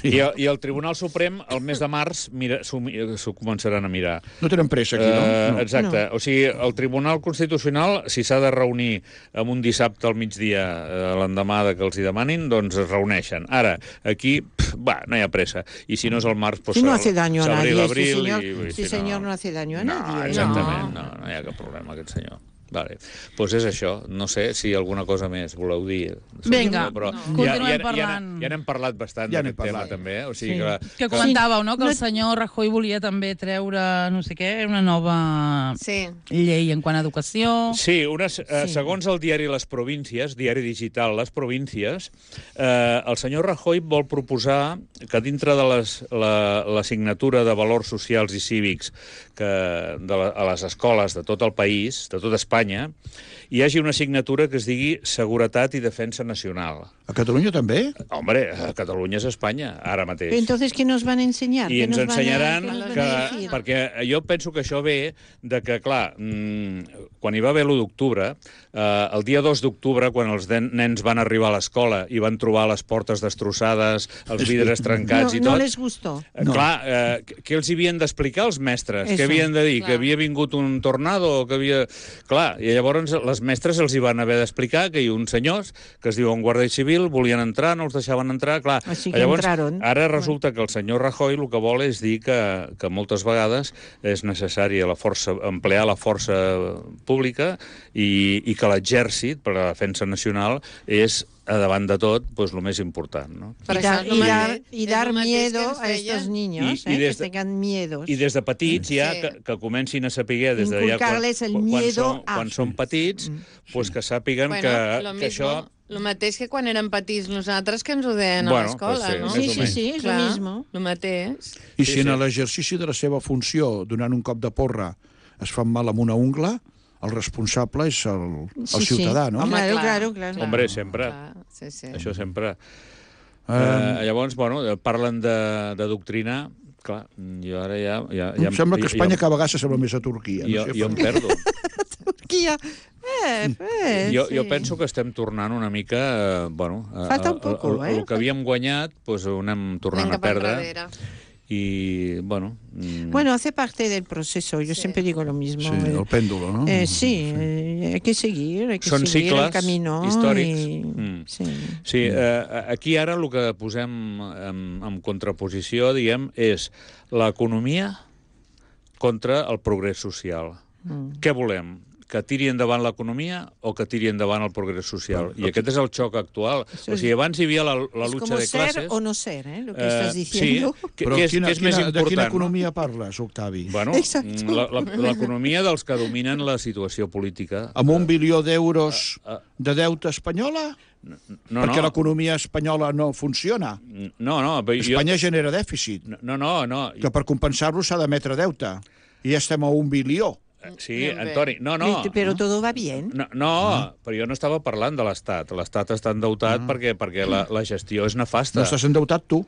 [SPEAKER 2] I el Tribunal Suprem, el mes de març, s'ho començaran a mirar.
[SPEAKER 3] No tenen pressa aquí, no?
[SPEAKER 2] Exacte. O sigui, el Tribunal Constitucional, si s'ha de reunir en un dissabte al migdia, l'endemà que els hi demanin, doncs es reuneixen. Ara, aquí, no hi ha pressa. I si no és el març, doncs
[SPEAKER 5] no hace daño a nadie,
[SPEAKER 2] este
[SPEAKER 5] señor no hace daño a nadie.
[SPEAKER 2] Exactament, no hi ha cap problema, aquest senyor. Vale. Doncs és això. No sé si alguna cosa més voleu dir.
[SPEAKER 1] Vinga, continuem parlant.
[SPEAKER 2] Ja n'hem parlat bastant d'aquest tema, també. O sigui
[SPEAKER 1] que comentàveu, no?, que el senyor Rajoy volia també treure, no sé què, una nova llei en quant a educació.
[SPEAKER 2] Sí, segons el diari Les Províncies, diari digital Les Províncies, el senyor Rajoy vol proposar que dintre de l'assignatura de valors socials i cívics a les escoles de tot el país, de tot Espanya, hi hagi una assignatura que es digui Seguretat i Defensa Nacional.
[SPEAKER 3] A Catalunya també?
[SPEAKER 2] Hombre, a Catalunya és Espanya, ara mateix.
[SPEAKER 5] Entonces, ¿qué nos van a enseñar?
[SPEAKER 2] I ens ensenyaran perquè jo penso que això ve de que, clar, quan hi va haver l'1 d'octubre, el dia 2 d'octubre, quan els nens van arribar a l'escola i van trobar les portes destrossades, els vidres trencats i tot...
[SPEAKER 5] No les gustó.
[SPEAKER 2] Clar, què els havien d'explicar els mestres? Què havien de dir? Que havia vingut un tornado o que havia... Clar, i llavors les mestres els hi van haver d'explicar que hi ha uns senyors que es diuen Guàrdia Civil, volien entrar, no els deixaven entrar, clar. Llavors, ara resulta que el senyor Rajoy el que vol és dir que moltes vegades és necessari emplear la força pública i que l'exèrcit, per a la defensa nacional, és davant de tot, pues lo més important, no?
[SPEAKER 5] Y dar miedo a estos niños, que tengan miedos.
[SPEAKER 2] I des de petits ja que comencin a saber des de ja quan són petits, pues que sàpiguen que això...
[SPEAKER 4] El mateix que quan érem petits nosaltres, que ens ho deien a l'escola, no?
[SPEAKER 5] Sí, és lo mismo.
[SPEAKER 4] El mateix.
[SPEAKER 3] I si en l'exercici de la seva funció, donant un cop de porra, es fan mal amb una ungla, el responsable és el ciutadà, no?
[SPEAKER 5] Claro.
[SPEAKER 2] Hombre, sempre. Això sempre. Llavors, parlen de doctrina. Clar, jo ara ja...
[SPEAKER 3] Em sembla que Espanya cada vegada s'assembla més a Turquia.
[SPEAKER 2] Jo em perdo.
[SPEAKER 5] Turquia.
[SPEAKER 2] Jo penso que estem tornant una mica...
[SPEAKER 5] Falta un poco,
[SPEAKER 2] el que havíem guanyat, doncs ho anem tornant a perdre. Y bueno...
[SPEAKER 5] Bueno, hace parte del proceso, yo siempre digo lo mismo.
[SPEAKER 3] Sí, el péndulo, ¿no?
[SPEAKER 5] Hay que seguir
[SPEAKER 2] Són
[SPEAKER 5] seguir
[SPEAKER 2] cicles
[SPEAKER 5] el camino
[SPEAKER 2] històrics. Sí, aquí ara el que posem en contraposició, diguem, és l'economia contra el progrés social. Què volem? Que tiri endavant l'economia o que tiri endavant el progrés social. I aquest és el xoc actual. O sigui, abans hi havia la lucha de classes...
[SPEAKER 5] ser o no ser, lo que estàs diciendo.
[SPEAKER 2] Sí, què és més important?
[SPEAKER 3] De quina economia parles, Octavi?
[SPEAKER 2] Bueno, l'economia dels que dominen la situació política.
[SPEAKER 3] Amb 1 bilió d'euros de deute espanyola?
[SPEAKER 2] No,
[SPEAKER 3] perquè l'economia espanyola no funciona.
[SPEAKER 2] No.
[SPEAKER 3] Espanya genera dèficit.
[SPEAKER 2] No.
[SPEAKER 3] Que per compensar-lo s'ha d'emetre deute. I ja estem a 1 bilió.
[SPEAKER 2] Sí,
[SPEAKER 4] Anem bé.
[SPEAKER 2] Antoni, no.
[SPEAKER 5] Pero todo va bien.
[SPEAKER 2] No, però jo no estava parlant de l'Estat. L'Estat està endeutat perquè la gestió és nefasta.
[SPEAKER 3] No estàs endeutat tu.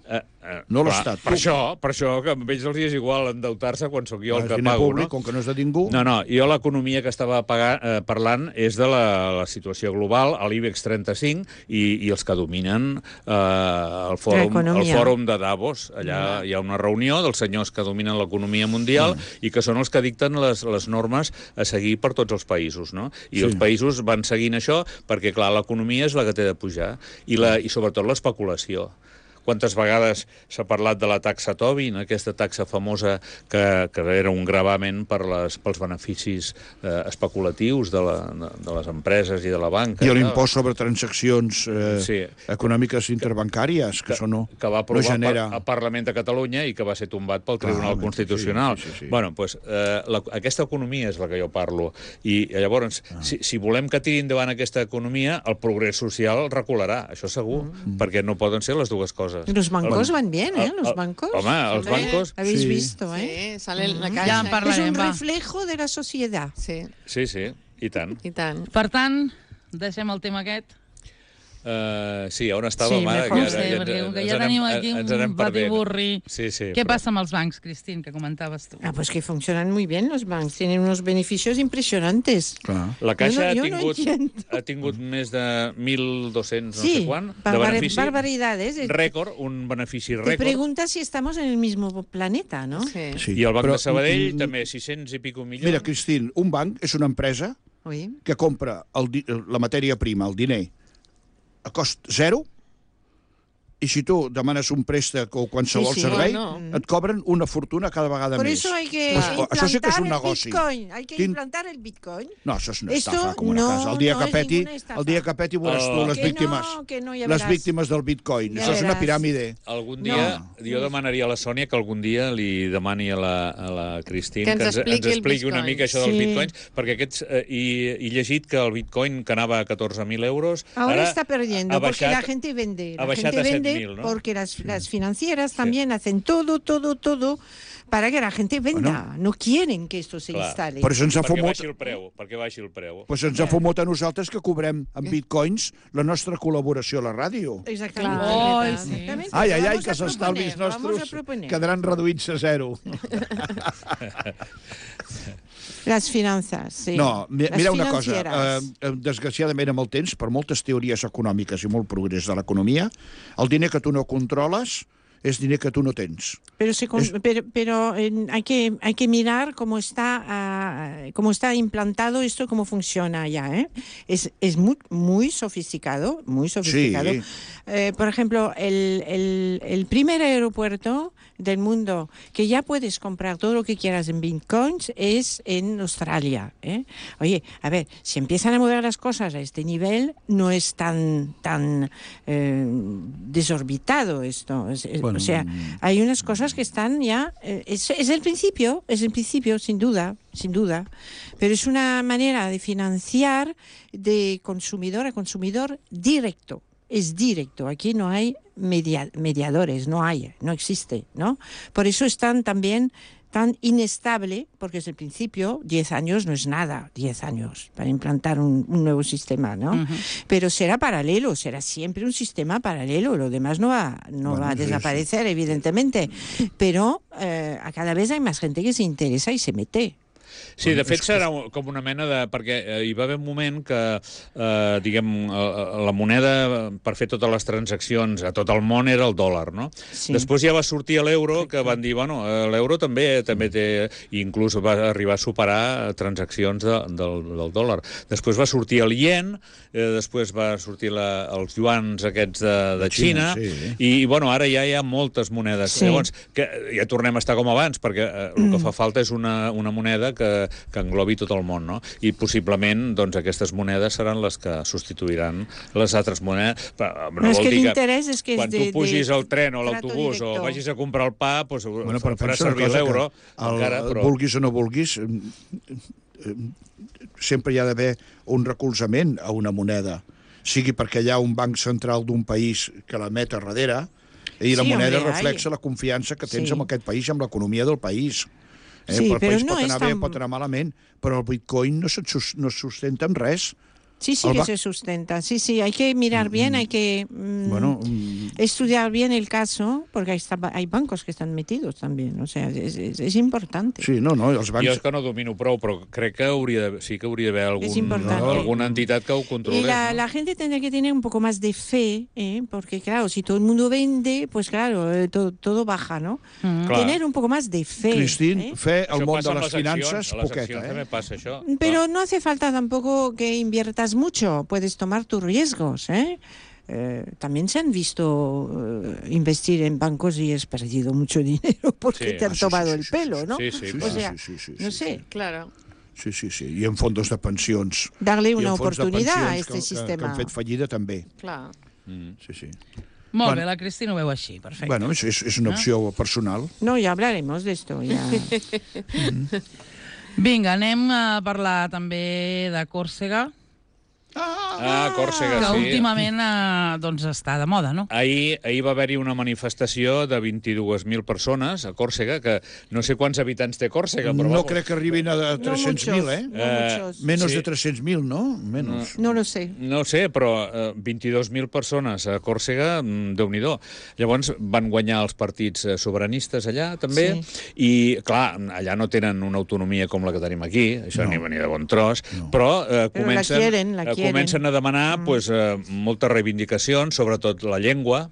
[SPEAKER 3] No
[SPEAKER 2] Clar,
[SPEAKER 3] l'Estat.
[SPEAKER 2] Per això que a ells els és igual endeutar-se quan sóc jo el que
[SPEAKER 3] diner
[SPEAKER 2] pago,
[SPEAKER 3] públic,
[SPEAKER 2] no?
[SPEAKER 3] com que no és de ningú.
[SPEAKER 2] No, jo l'economia que estava parlant és de la situació global, a l'IBEX 35 i els que dominen el fòrum de Davos. Allà hi ha una reunió dels senyors que dominen l'economia mundial i que són els que dicten les normes a seguir per tots els països, no? I els països van seguint això perquè, clar, l'economia és la que té de pujar i sobretot l'especulació. Quantes vegades s'ha parlat de la taxa Tobin, aquesta taxa famosa que era un gravamen pels beneficis especulatius de les empreses i de la banca.
[SPEAKER 3] I l'impost sobre transaccions econòmiques interbancàries, que això no
[SPEAKER 2] va aprovar
[SPEAKER 3] genera...
[SPEAKER 2] al Parlament de Catalunya i que va ser tombat pel Tribunal Constitucional.
[SPEAKER 3] Sí.
[SPEAKER 2] Bueno, doncs aquesta economia és la que jo parlo. I llavors, si volem que tiri endavant aquesta economia, el progrés social recularà, això segur, perquè no poden ser les dues coses.
[SPEAKER 5] Los bancos van bien, ¿eh? Los bancos.
[SPEAKER 2] Home, els bancos...
[SPEAKER 5] Habéis visto, ¿eh?
[SPEAKER 4] Sí, sale en la caixa.
[SPEAKER 1] Ja en parlarem,
[SPEAKER 5] Es un
[SPEAKER 1] va.
[SPEAKER 5] reflejo de la sociedad.
[SPEAKER 4] Sí,
[SPEAKER 2] Sí, i tant.
[SPEAKER 4] i tant.
[SPEAKER 1] Per tant, deixem el tema aquest.
[SPEAKER 2] Sí, on estàvem?
[SPEAKER 1] Sí, mejor perquè com que ja tenim aquí un batiburri.
[SPEAKER 2] Sí,
[SPEAKER 1] ¿Qué pasa amb els bancs, Cristín, que comentaves tu?
[SPEAKER 5] Pues que funcionan muy bien los bancos, tienen unos beneficios impresionantes.
[SPEAKER 2] La Caixa
[SPEAKER 5] Jo no entiendo.
[SPEAKER 2] ha tingut més de 1.200 no
[SPEAKER 5] Sí,
[SPEAKER 2] sé quant de benefici.
[SPEAKER 5] barbaridades.
[SPEAKER 2] Rècord, un benefici
[SPEAKER 5] Te
[SPEAKER 2] rècord.
[SPEAKER 5] preguntas si estamos en el mismo planeta, ¿no?
[SPEAKER 4] Sí.
[SPEAKER 3] Sí,
[SPEAKER 2] I el Banc
[SPEAKER 3] però,
[SPEAKER 2] de Sabadell també 600 i pico milions.
[SPEAKER 3] Mira, Cristín, un banc és una empresa
[SPEAKER 5] Oui.
[SPEAKER 3] que compra la matèria prima, el diner, a cost zero, i si tu demanes un préstec o qualsevol
[SPEAKER 5] Sí, sí.
[SPEAKER 3] servei,
[SPEAKER 4] Bueno.
[SPEAKER 3] et cobren una fortuna cada vegada
[SPEAKER 5] Por
[SPEAKER 3] més.
[SPEAKER 5] eso hay que
[SPEAKER 3] Pues,
[SPEAKER 5] implantar
[SPEAKER 3] això sí que és un
[SPEAKER 5] el
[SPEAKER 3] negoci.
[SPEAKER 5] Bitcoin. Hay que
[SPEAKER 3] Quin-
[SPEAKER 5] implantar el Bitcoin.
[SPEAKER 3] No, això és una
[SPEAKER 5] Esto
[SPEAKER 3] estafa, com una
[SPEAKER 5] no,
[SPEAKER 3] casa. El dia
[SPEAKER 5] no
[SPEAKER 3] que
[SPEAKER 5] és
[SPEAKER 3] peti,
[SPEAKER 5] ninguna estafa.
[SPEAKER 3] el dia que peti veuràs tu les
[SPEAKER 5] Que
[SPEAKER 3] víctimes.
[SPEAKER 5] que no, ja
[SPEAKER 3] Les
[SPEAKER 5] veràs.
[SPEAKER 3] víctimes del Bitcoin.
[SPEAKER 5] Ja
[SPEAKER 3] Això és una
[SPEAKER 5] veràs.
[SPEAKER 3] piràmide.
[SPEAKER 2] Algun dia, jo demanaria a la Sònia que algun dia li demani a la Cristín
[SPEAKER 4] Que ens expliqui el
[SPEAKER 2] expliqui una
[SPEAKER 4] Bitcoin.
[SPEAKER 2] mica això dels
[SPEAKER 5] Sí.
[SPEAKER 2] bitcoins, perquè aquests, he llegit que el bitcoin que anava a 14.000 euros...
[SPEAKER 5] Ahora
[SPEAKER 2] ara
[SPEAKER 5] está perdiendo
[SPEAKER 2] ha
[SPEAKER 5] porque
[SPEAKER 2] baixat-
[SPEAKER 5] la gente vende.
[SPEAKER 2] ha
[SPEAKER 5] La
[SPEAKER 2] baixat
[SPEAKER 5] gente
[SPEAKER 2] a
[SPEAKER 5] vende
[SPEAKER 2] 7.000, ¿no?
[SPEAKER 5] porque las financieras también hacen todo para que la gente venda. No quieren que esto se
[SPEAKER 2] Clar.
[SPEAKER 5] instale.
[SPEAKER 3] Per això ens ha
[SPEAKER 2] perquè
[SPEAKER 3] fumut...
[SPEAKER 2] baixi el preu.
[SPEAKER 3] Pues ens ha fumut a nosaltres que cobrem en bitcoins la nostra col·laboració a la ràdio.
[SPEAKER 5] Exactamente.
[SPEAKER 1] Claro. Ai,
[SPEAKER 5] Exactamente.
[SPEAKER 3] Ai,
[SPEAKER 5] Vamos
[SPEAKER 3] que
[SPEAKER 5] a
[SPEAKER 3] els estalvis
[SPEAKER 5] proponer, vamos a
[SPEAKER 3] nostres
[SPEAKER 5] proponer.
[SPEAKER 3] quedaran reduïts a zero.
[SPEAKER 5] Las finanzas, sí.
[SPEAKER 3] No,
[SPEAKER 5] Las
[SPEAKER 3] mira una cosa.
[SPEAKER 5] financieras.
[SPEAKER 3] Desgraciadament, amb el temps, per moltes teories econòmiques i molt progrés de l'economia, el diner que tu no controles és diner que tu no tens.
[SPEAKER 5] Pero hay que mirar cómo está implantado esto, cómo funciona ya, ¿eh? Es muy sofisticado, muy sofisticado.
[SPEAKER 3] Sí.
[SPEAKER 5] Por ejemplo, el primer aeropuerto del mundo que ya puedes comprar todo lo que quieras en bitcoins es en Australia, ¿eh? Oye, a ver, si empiezan a mover las cosas a este nivel, no es tan desorbitado esto.
[SPEAKER 3] Bueno,
[SPEAKER 5] o sea, hay unas cosas que están ya... es el principio, sin duda, pero es una manera de financiar de consumidor a consumidor directo. Es directo, aquí no hay mediadores, no existe, ¿no? Por eso están también tan inestable, porque es el principio, 10 años no es nada, 10 años para implantar un nuevo sistema, ¿no? Uh-huh. Pero será paralelo, será siempre un sistema paralelo, lo demás no va a desaparecer, evidentemente, pero a cada vez hay más gente que se interesa y se mete.
[SPEAKER 2] Sí, de fet serà com una mena de... Perquè hi va haver un moment que, diguem, la moneda per fer totes les transaccions a tot el món era el dòlar, no? Sí. Després ja va sortir l'euro, que van dir, bueno, l'euro també té... Inclús va arribar a superar transaccions del dòlar. Després va sortir el ien, després va sortir els yuans aquests de Xina, sí. I, bueno, ara ja hi ha moltes monedes. Sí. Llavors, ja tornem a estar com abans, perquè el que fa falta és una moneda que englobi tot el món, no? I possiblement doncs, aquestes monedes seran les que substituiran les altres monedes. Però no vol dir que quan tu pugis al tren o a l'autobús o vagis a comprar el pa, doncs farà servir l'euro.
[SPEAKER 3] Vulguis o no vulguis, sempre hi ha d'haver un recolzament a una moneda, sigui perquè hi ha un banc central d'un país que la met a darrere i la moneda reflexa la confiança que tens en aquest país i en l'economia del país.
[SPEAKER 5] Sí,
[SPEAKER 3] el
[SPEAKER 5] però
[SPEAKER 3] país
[SPEAKER 5] no
[SPEAKER 3] pot
[SPEAKER 5] és
[SPEAKER 3] anar bé,
[SPEAKER 5] tan-
[SPEAKER 3] pot anar malament, però el bitcoin no se sustenta en res.
[SPEAKER 5] Sí, sí
[SPEAKER 3] El
[SPEAKER 5] que
[SPEAKER 3] ba-
[SPEAKER 5] se sustenta. Sí, sí, hay que mirar bien, hay que estudiar bien el caso, porque hay bancos que están metidos también. O sea, es importante.
[SPEAKER 3] Sí, no, els
[SPEAKER 2] Jo
[SPEAKER 3] bancs...
[SPEAKER 2] és que no domino prou, però crec que sí que hauria d'haver
[SPEAKER 5] És importante.
[SPEAKER 2] alguna entitat que ho
[SPEAKER 5] Y
[SPEAKER 2] controlés.
[SPEAKER 5] la gente tendría que tener un poco más de fe, porque claro, si todo el mundo vende, pues claro, todo baja, ¿no?
[SPEAKER 2] Clar.
[SPEAKER 5] Tener un poco más de fe.
[SPEAKER 3] Cristín, fe al
[SPEAKER 2] Això
[SPEAKER 3] món
[SPEAKER 2] passa
[SPEAKER 3] de
[SPEAKER 2] amb
[SPEAKER 3] les
[SPEAKER 2] les
[SPEAKER 3] finances,
[SPEAKER 2] accions, a les
[SPEAKER 3] poqueta,
[SPEAKER 2] accions també passa això.
[SPEAKER 5] Pero no hace falta tampoco que inviertas mucho, puedes tomar tus riesgos, ¿eh? También se han visto investir en bancos y has perdido mucho dinero porque
[SPEAKER 2] Sí.
[SPEAKER 5] te han tomado el pelo, ¿no?
[SPEAKER 2] Sí, sí,
[SPEAKER 5] O sea,
[SPEAKER 3] sí.
[SPEAKER 5] no sé,
[SPEAKER 4] Claro.
[SPEAKER 3] Sí, i en fondos de pensions.
[SPEAKER 5] darle
[SPEAKER 3] I
[SPEAKER 5] una
[SPEAKER 3] en fons de
[SPEAKER 5] oportunidad a
[SPEAKER 3] pensions
[SPEAKER 5] este
[SPEAKER 3] que
[SPEAKER 5] sistema.
[SPEAKER 3] han fet fallida també.
[SPEAKER 4] Clar.
[SPEAKER 3] Sí.
[SPEAKER 1] Molt
[SPEAKER 3] Bueno.
[SPEAKER 1] bé, la Cristina ho veu així, perfecte.
[SPEAKER 3] Bueno, és una opció personal.
[SPEAKER 5] No, ya hablaremos de esto. Ya.
[SPEAKER 1] Vinga, anem a parlar també de Còrsega,
[SPEAKER 2] Còrsega,
[SPEAKER 1] que
[SPEAKER 2] sí.
[SPEAKER 1] últimament doncs està de moda, no?
[SPEAKER 2] Ahir va haver-hi una manifestació de 22.000 persones a Còrsega, que no sé quants habitants té Còrsega, però
[SPEAKER 3] No
[SPEAKER 2] vamos.
[SPEAKER 3] crec que arribin a 300.000, eh?
[SPEAKER 5] No muchos.
[SPEAKER 3] Menos
[SPEAKER 2] Sí.
[SPEAKER 3] de 300.000, no? Menos.
[SPEAKER 5] No lo sé.
[SPEAKER 2] No ho sé, però 22.000 persones a Còrsega, Déu-n'hi-do. Llavors van guanyar els partits sobiranistes allà, també, i, clar, allà no tenen una autonomia com la que tenim aquí, això
[SPEAKER 3] No.
[SPEAKER 2] ni venia de bon tros,
[SPEAKER 3] No.
[SPEAKER 2] però
[SPEAKER 5] la quieren.
[SPEAKER 2] comencen a demanar moltes reivindicacions, sobretot la llengua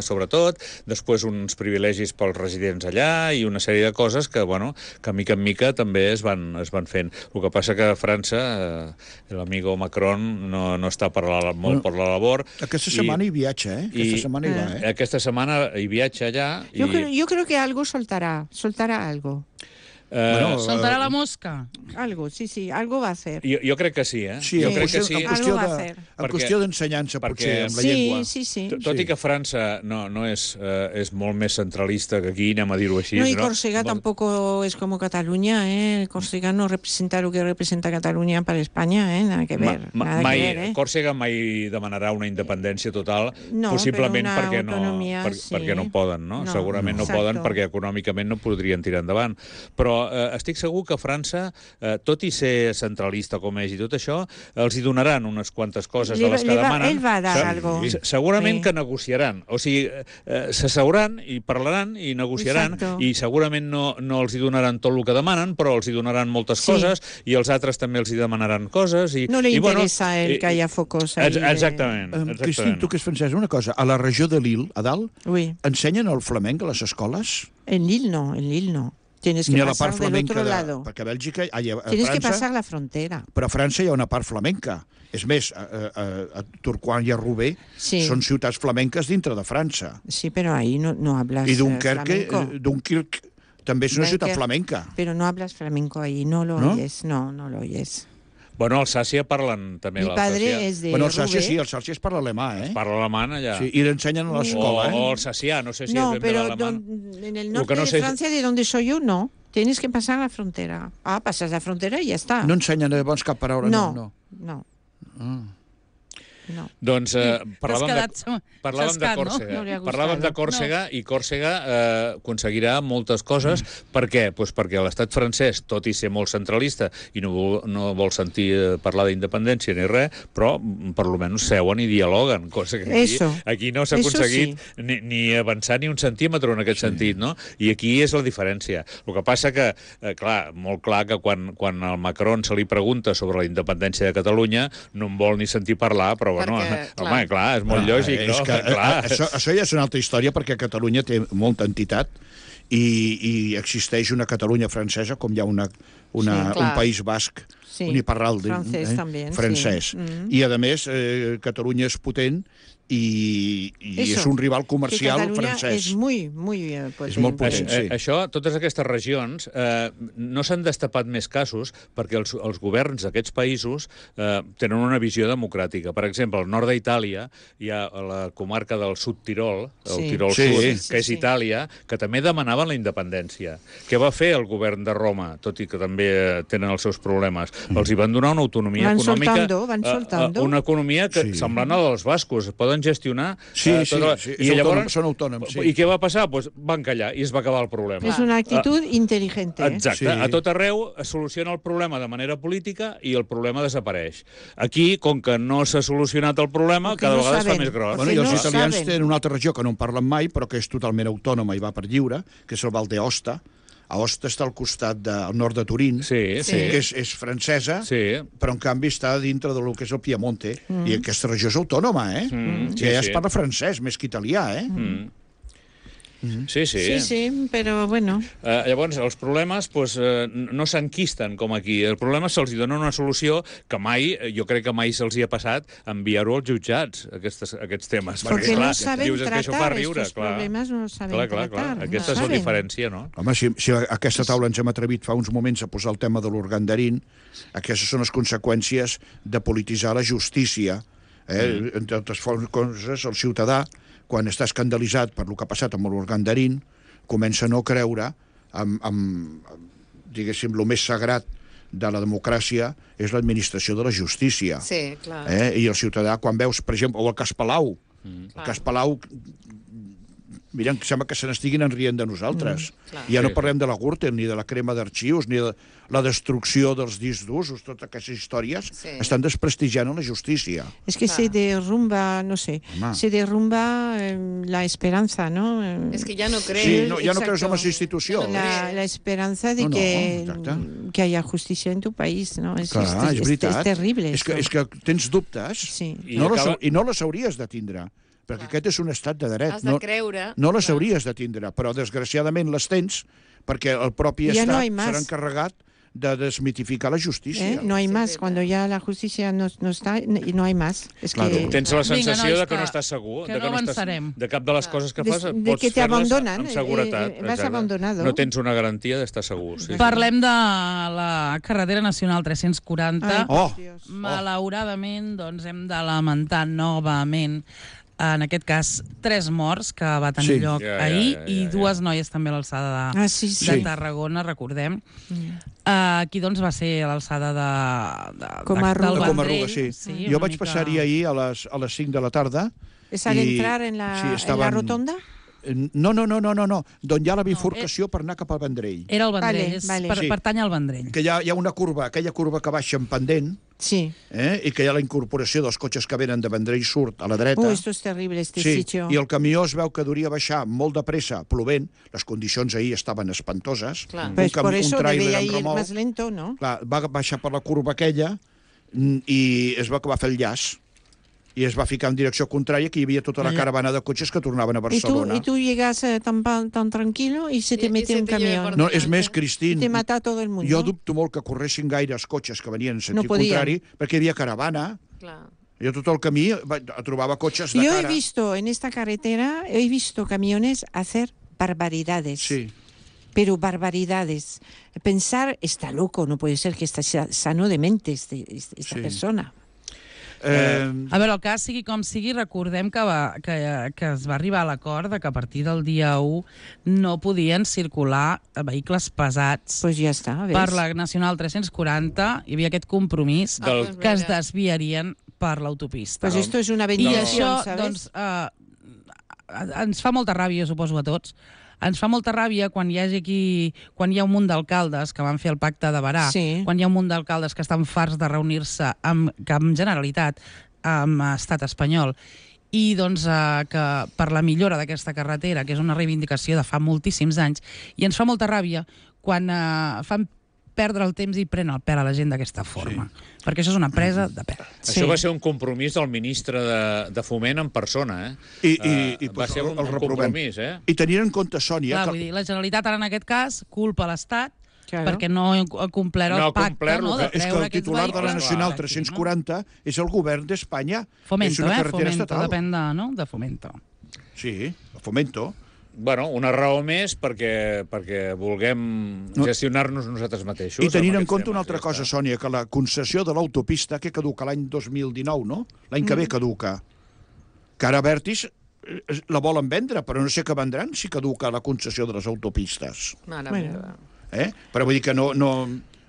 [SPEAKER 2] sobretot, després uns privilegis pels residents allà i una sèrie de coses que, bueno, que mica en mica també es van fent. El que passa que a França l'amigo Macron no està molt per la labor.
[SPEAKER 3] Aquesta setmana hi viatja, eh? Aquesta setmana hi va, eh?
[SPEAKER 2] Aquesta setmana hi viatja allà.
[SPEAKER 5] Yo creo que algo soltará algo.
[SPEAKER 1] Soltarà la mosca.
[SPEAKER 5] Algo, sí, algo va a hacer.
[SPEAKER 2] Jo crec que sí, eh?
[SPEAKER 3] Sí,
[SPEAKER 2] jo
[SPEAKER 3] en
[SPEAKER 2] crec que
[SPEAKER 3] qüestió,
[SPEAKER 2] sí.
[SPEAKER 5] Algo va a hacer.
[SPEAKER 3] en qüestió d'ensenyança, potser, amb la llengua.
[SPEAKER 5] Sí.
[SPEAKER 2] Tot i que França no és molt més centralista que aquí, anem a dir-ho així.
[SPEAKER 5] No, y Córcega tampoco es como Cataluña, ¿eh? Córcega no representa lo que representa Cataluña para España, ¿eh? Nada que ver.
[SPEAKER 2] Còrsega mai demanarà una independència total,
[SPEAKER 5] No,
[SPEAKER 2] possiblement
[SPEAKER 5] però una
[SPEAKER 2] perquè
[SPEAKER 5] autonomia,
[SPEAKER 2] perquè no poden, no?
[SPEAKER 5] No,
[SPEAKER 2] Segurament no
[SPEAKER 5] exacto.
[SPEAKER 2] poden perquè econòmicament no podrien tirar endavant. Però estic segur que França, tot i ser centralista com és i tot això, els hi donaran unes quantes coses de les que demanen.
[SPEAKER 5] Ell va a dar algo.
[SPEAKER 2] Segurament
[SPEAKER 5] Sí.
[SPEAKER 2] que negociaran. O sigui, s'asseuran i parlaran i negociaran.
[SPEAKER 5] Exacto.
[SPEAKER 2] I segurament no els hi donaran tot el que demanen, però els hi donaran moltes
[SPEAKER 5] Sí.
[SPEAKER 2] coses i els altres també els hi demanaran coses.
[SPEAKER 5] No le
[SPEAKER 2] i,
[SPEAKER 5] interesa que haya focos ahí.
[SPEAKER 2] Exactament.
[SPEAKER 3] Cristín, tu que és francès, una cosa. A la regió de Lille, a dalt,
[SPEAKER 5] Oui,
[SPEAKER 3] ensenyen el flamenc a les escoles?
[SPEAKER 5] en Lille no. Tienes que
[SPEAKER 3] Ni a la
[SPEAKER 5] pasar
[SPEAKER 3] part
[SPEAKER 5] del
[SPEAKER 3] flamenca
[SPEAKER 5] otro lado.
[SPEAKER 3] Perquè a Bèlgica, a
[SPEAKER 5] Tienes que
[SPEAKER 3] França,
[SPEAKER 5] pasar la frontera.
[SPEAKER 3] però a França hi ha una part flamenca. És més, a Tourcoing i a Roubaix
[SPEAKER 5] Sí.
[SPEAKER 3] són ciutats flamenques dintre de França.
[SPEAKER 5] Sí, pero ahí no hablas
[SPEAKER 3] I Dunkerque,
[SPEAKER 5] flamenco.
[SPEAKER 3] Dunkirk també és una ciutat flamenca.
[SPEAKER 5] Pero no hablas flamenco ahí, no lo
[SPEAKER 3] ¿No?
[SPEAKER 5] oyes. No lo oyes.
[SPEAKER 2] Bueno, Alsàcia parlen també.
[SPEAKER 5] Mi padre es de
[SPEAKER 3] Bueno, Alsàcia
[SPEAKER 5] Roubaix.
[SPEAKER 3] sí, Alsàcia es parla alemà, eh?
[SPEAKER 2] Parla alemany allà.
[SPEAKER 3] Sí, i l'ensenyen a l'escola,
[SPEAKER 2] O
[SPEAKER 3] eh?
[SPEAKER 2] alsacià, no sé si
[SPEAKER 5] No,
[SPEAKER 2] és ben bé
[SPEAKER 5] pero
[SPEAKER 2] l'alemany.
[SPEAKER 5] en el
[SPEAKER 2] Lo
[SPEAKER 5] norte
[SPEAKER 2] que no
[SPEAKER 5] de
[SPEAKER 2] sé es-
[SPEAKER 5] Francia, de donde soy yo, no. Tienes que pasar la frontera. Pasas la frontera y ya está.
[SPEAKER 3] No ensenyen llavors cap paraula, no.
[SPEAKER 5] No.
[SPEAKER 2] Doncs parlàvem de
[SPEAKER 1] xascat, no?
[SPEAKER 2] Còrsega.
[SPEAKER 5] No li ha gustat.
[SPEAKER 2] Parlàvem de Còrsega i Còrsega aconseguirà moltes coses. Per què? Pues perquè l'estat francès, tot i ser molt centralista i no vol sentir parlar d'independència ni res, però per lo menys seuen i dialoguen, cosa que aquí no s'ha aconseguit ni avançar ni un centímetre en aquest sentit, no? I aquí és la diferència. El que passa que, molt clar que quan al Macron se li pregunta sobre la independència de Catalunya no en vol ni sentir parlar, però bueno, home, clar, és molt lògic, no?
[SPEAKER 3] És que, això ja és una altra història, perquè Catalunya té molta entitat i existeix una Catalunya francesa, com hi ha un País Basc, uniparral, francès. I, a més, Catalunya és potent i és un rival comercial francès.
[SPEAKER 5] És molt potent.
[SPEAKER 3] És molt potent, sí.
[SPEAKER 2] Això, totes aquestes regions, no s'han destapat més casos perquè els governs d'aquests països tenen una visió democràtica. Per exemple, exemple, al nord d'Itàlia hi ha la comarca del Sud Tirol, el Tirol
[SPEAKER 3] Sí.
[SPEAKER 2] Sud, que és Itàlia, que també demanaven la independència. Què va fer el govern de Roma, tot i que també tenen els seus problemes? Els hi van donar una autonomia econòmica,
[SPEAKER 5] van soltando.
[SPEAKER 2] una economia que semblant a la dels bascos, poden gestionar...
[SPEAKER 3] Sí.
[SPEAKER 2] I llavors,
[SPEAKER 3] són autònoms, sí.
[SPEAKER 2] I què va passar? Pues van callar i es va acabar el problema.
[SPEAKER 5] Es una actitud inteligente.
[SPEAKER 2] Exacte.
[SPEAKER 3] Sí.
[SPEAKER 2] A tot arreu es soluciona el problema de manera política i el problema desapareix. Aquí, com que no s'ha solucionat el problema,
[SPEAKER 5] Perquè
[SPEAKER 2] cada
[SPEAKER 5] no
[SPEAKER 2] vegada es fa
[SPEAKER 5] saben.
[SPEAKER 2] més gros.
[SPEAKER 3] Bueno, i els
[SPEAKER 5] no
[SPEAKER 3] italians
[SPEAKER 5] saben.
[SPEAKER 3] tenen una altra regió que no en parlen mai, però que és totalment autònoma i va per lliure, que és el Val d'Aosta. Aosta està al costat del nord de Turín,
[SPEAKER 2] Sí.
[SPEAKER 3] que és francesa,
[SPEAKER 2] Sí.
[SPEAKER 3] però en canvi està dintre del que és el Piemonte. I aquesta regió és autònoma, eh?
[SPEAKER 2] Sí,
[SPEAKER 3] Ja
[SPEAKER 2] sí.
[SPEAKER 3] es parla francès, més que italià, eh?
[SPEAKER 2] Sí.
[SPEAKER 5] Sí, pero bueno.
[SPEAKER 2] Llavors, els problemes no s'enquisten com aquí. El problema se'ls dona una solució que mai, jo crec que mai se'ls hi ha passat enviar-ho als jutjats, aquests temes.
[SPEAKER 5] Porque no saben
[SPEAKER 2] dius, és que això fa
[SPEAKER 5] tratar
[SPEAKER 2] riure,
[SPEAKER 5] estos problemas, no los saben
[SPEAKER 2] clar.
[SPEAKER 5] tratar.
[SPEAKER 2] Aquesta és la
[SPEAKER 5] saben.
[SPEAKER 2] diferència, no?
[SPEAKER 3] Home, si a aquesta taula ens hem atrevit fa uns moments a posar el tema de l'Urgandarín, aquestes són les conseqüències de polititzar la justícia. Entre altres coses, el ciutadà, quan està escandalitzat per el que ha passat amb l'Urgandarín, comença a no creure diguéssim, el més sagrat de la democràcia és l'administració de la justícia.
[SPEAKER 4] Sí, clar.
[SPEAKER 3] I el ciutadà, quan veus, per exemple, o el cas Palau, el cas Palau, mira, em sembla que se n'estiguin enrient de nosaltres. Ja no parlem de la Gürtel, ni de la crema d'arxius, ni de la destrucció dels discs d'usos, totes aquestes històries estan desprestigiant la justícia.
[SPEAKER 5] Es que se derrumba, no sé, se derrumba la esperanza, ¿no?
[SPEAKER 4] Es que ya no crees.
[SPEAKER 3] Sí, no, ja no creus en les institucions.
[SPEAKER 5] La esperanza de que haya justicia en tu país, ¿no? És terrible.
[SPEAKER 3] És que tens dubtes i no les hauries de tindre, perquè aquest és un estat de dret.
[SPEAKER 4] Has de creure.
[SPEAKER 3] No les hauries de tindre, però desgraciadament les tens perquè el propi estat serà encarregat de desmitificar la justícia.
[SPEAKER 5] No hay más. Cuando ya la justicia no está, no hay más. Es que...
[SPEAKER 2] Tens la sensació de que no estàs segur,
[SPEAKER 1] que no avançarem.
[SPEAKER 2] De cap de les coses que fas
[SPEAKER 5] de que
[SPEAKER 2] pots fer-les amb
[SPEAKER 5] seguretat. Vas abandonado.
[SPEAKER 2] No tens una garantia d'estar segur.
[SPEAKER 1] Parlem de la carretera nacional 340. Malauradament, doncs, hem de lamentar novament en aquest cas, 3 morts que va tenir lloc ahir i 2 noies també a l'alçada de Tarragona, recordem. Aquí doncs va ser a l'alçada del Vendrell.
[SPEAKER 3] Jo vaig passar-hi ahir a les 5 de la tarda.
[SPEAKER 5] ¿Es al entrar en la rotonda?
[SPEAKER 3] No, d'on hi ha la bifurcació per anar cap al Vendrell.
[SPEAKER 1] Era el Vendrell, pertany al Vendrell.
[SPEAKER 3] Que hi ha una curva, aquella curva que baixa en pendent, i que hi ha la incorporació dels cotxes que venen de Vendrell Sud a la dreta.
[SPEAKER 5] Esto es terrible, este sitio.
[SPEAKER 3] I el camió es veu que duria baixar molt de pressa, plovent, les condicions ahir estaven espantoses.
[SPEAKER 5] Pues por eso debía ir más lento, ¿no?
[SPEAKER 3] Clar, va baixar per la curva aquella i es veu que va fer el llaç. I es va ficar en direcció contrària, que hi havia tota la caravana de cotxes que tornaven a Barcelona.
[SPEAKER 5] Y tú llegas tan tranquilo y se te mete un camión.
[SPEAKER 3] No, és més, Cristín,
[SPEAKER 5] te mata todo el mundo.
[SPEAKER 3] Jo dubto molt que corressin gaire els cotxes que venien en sentit contrari, perquè hi havia caravana. Jo tot el camí trobava cotxes de cara.
[SPEAKER 5] Yo he visto en esta carretera, camiones hacer barbaridades.
[SPEAKER 3] Sí.
[SPEAKER 5] Pero barbaridades. Pensar, está loco, no puede ser que esté sano de mente esta persona.
[SPEAKER 1] A veure, el cas sigui com sigui, recordem que es va arribar a l'acord de que a partir del dia 1 no podien circular vehicles pesats per la Nacional 340. Hi havia aquest compromís que es desviarien per l'autopista.
[SPEAKER 5] Pues esto es una bendición,
[SPEAKER 1] I això,
[SPEAKER 5] ¿sabes?
[SPEAKER 1] doncs, ens fa molta ràbia, suposo, a tots. Ens fa molta ràbia quan hi ha un munt d'alcaldes que van fer el pacte de Berà, quan hi ha un munt d'alcaldes que estan farts de reunir-se amb Generalitat, amb Estat espanyol, i doncs que per la millora d'aquesta carretera, que és una reivindicació de fa moltíssims anys, i ens fa molta ràbia quan fan perdre el temps i pren el pèl a la gent d'aquesta forma. Perquè això és una presa de pèl.
[SPEAKER 2] Això va ser un compromís del ministre de Foment en persona, va ser un compromís,
[SPEAKER 3] I tenint en compte, Sònia...
[SPEAKER 1] Vull dir, la Generalitat ara en aquest cas culpa l'Estat perquè no ha complert el pacte de treure aquests vehicles.
[SPEAKER 3] És que el titular de la Nacional 340 és el govern d'Espanya.
[SPEAKER 1] Fomento, Fomento, depèn de Fomento.
[SPEAKER 3] Sí, Fomento.
[SPEAKER 2] Bueno, una raó més perquè vulguem gestionar-nos nosaltres mateixos.
[SPEAKER 3] I tenint en compte una altra cosa, Sònia, que la concessió de l'autopista, que caduca l'any 2019, no? L'any que ve caduca. Que ara Abertis la volen vendre, però no sé què vendran si caduca la concessió de les autopistes.
[SPEAKER 4] Mare meva.
[SPEAKER 3] Però vull dir que no...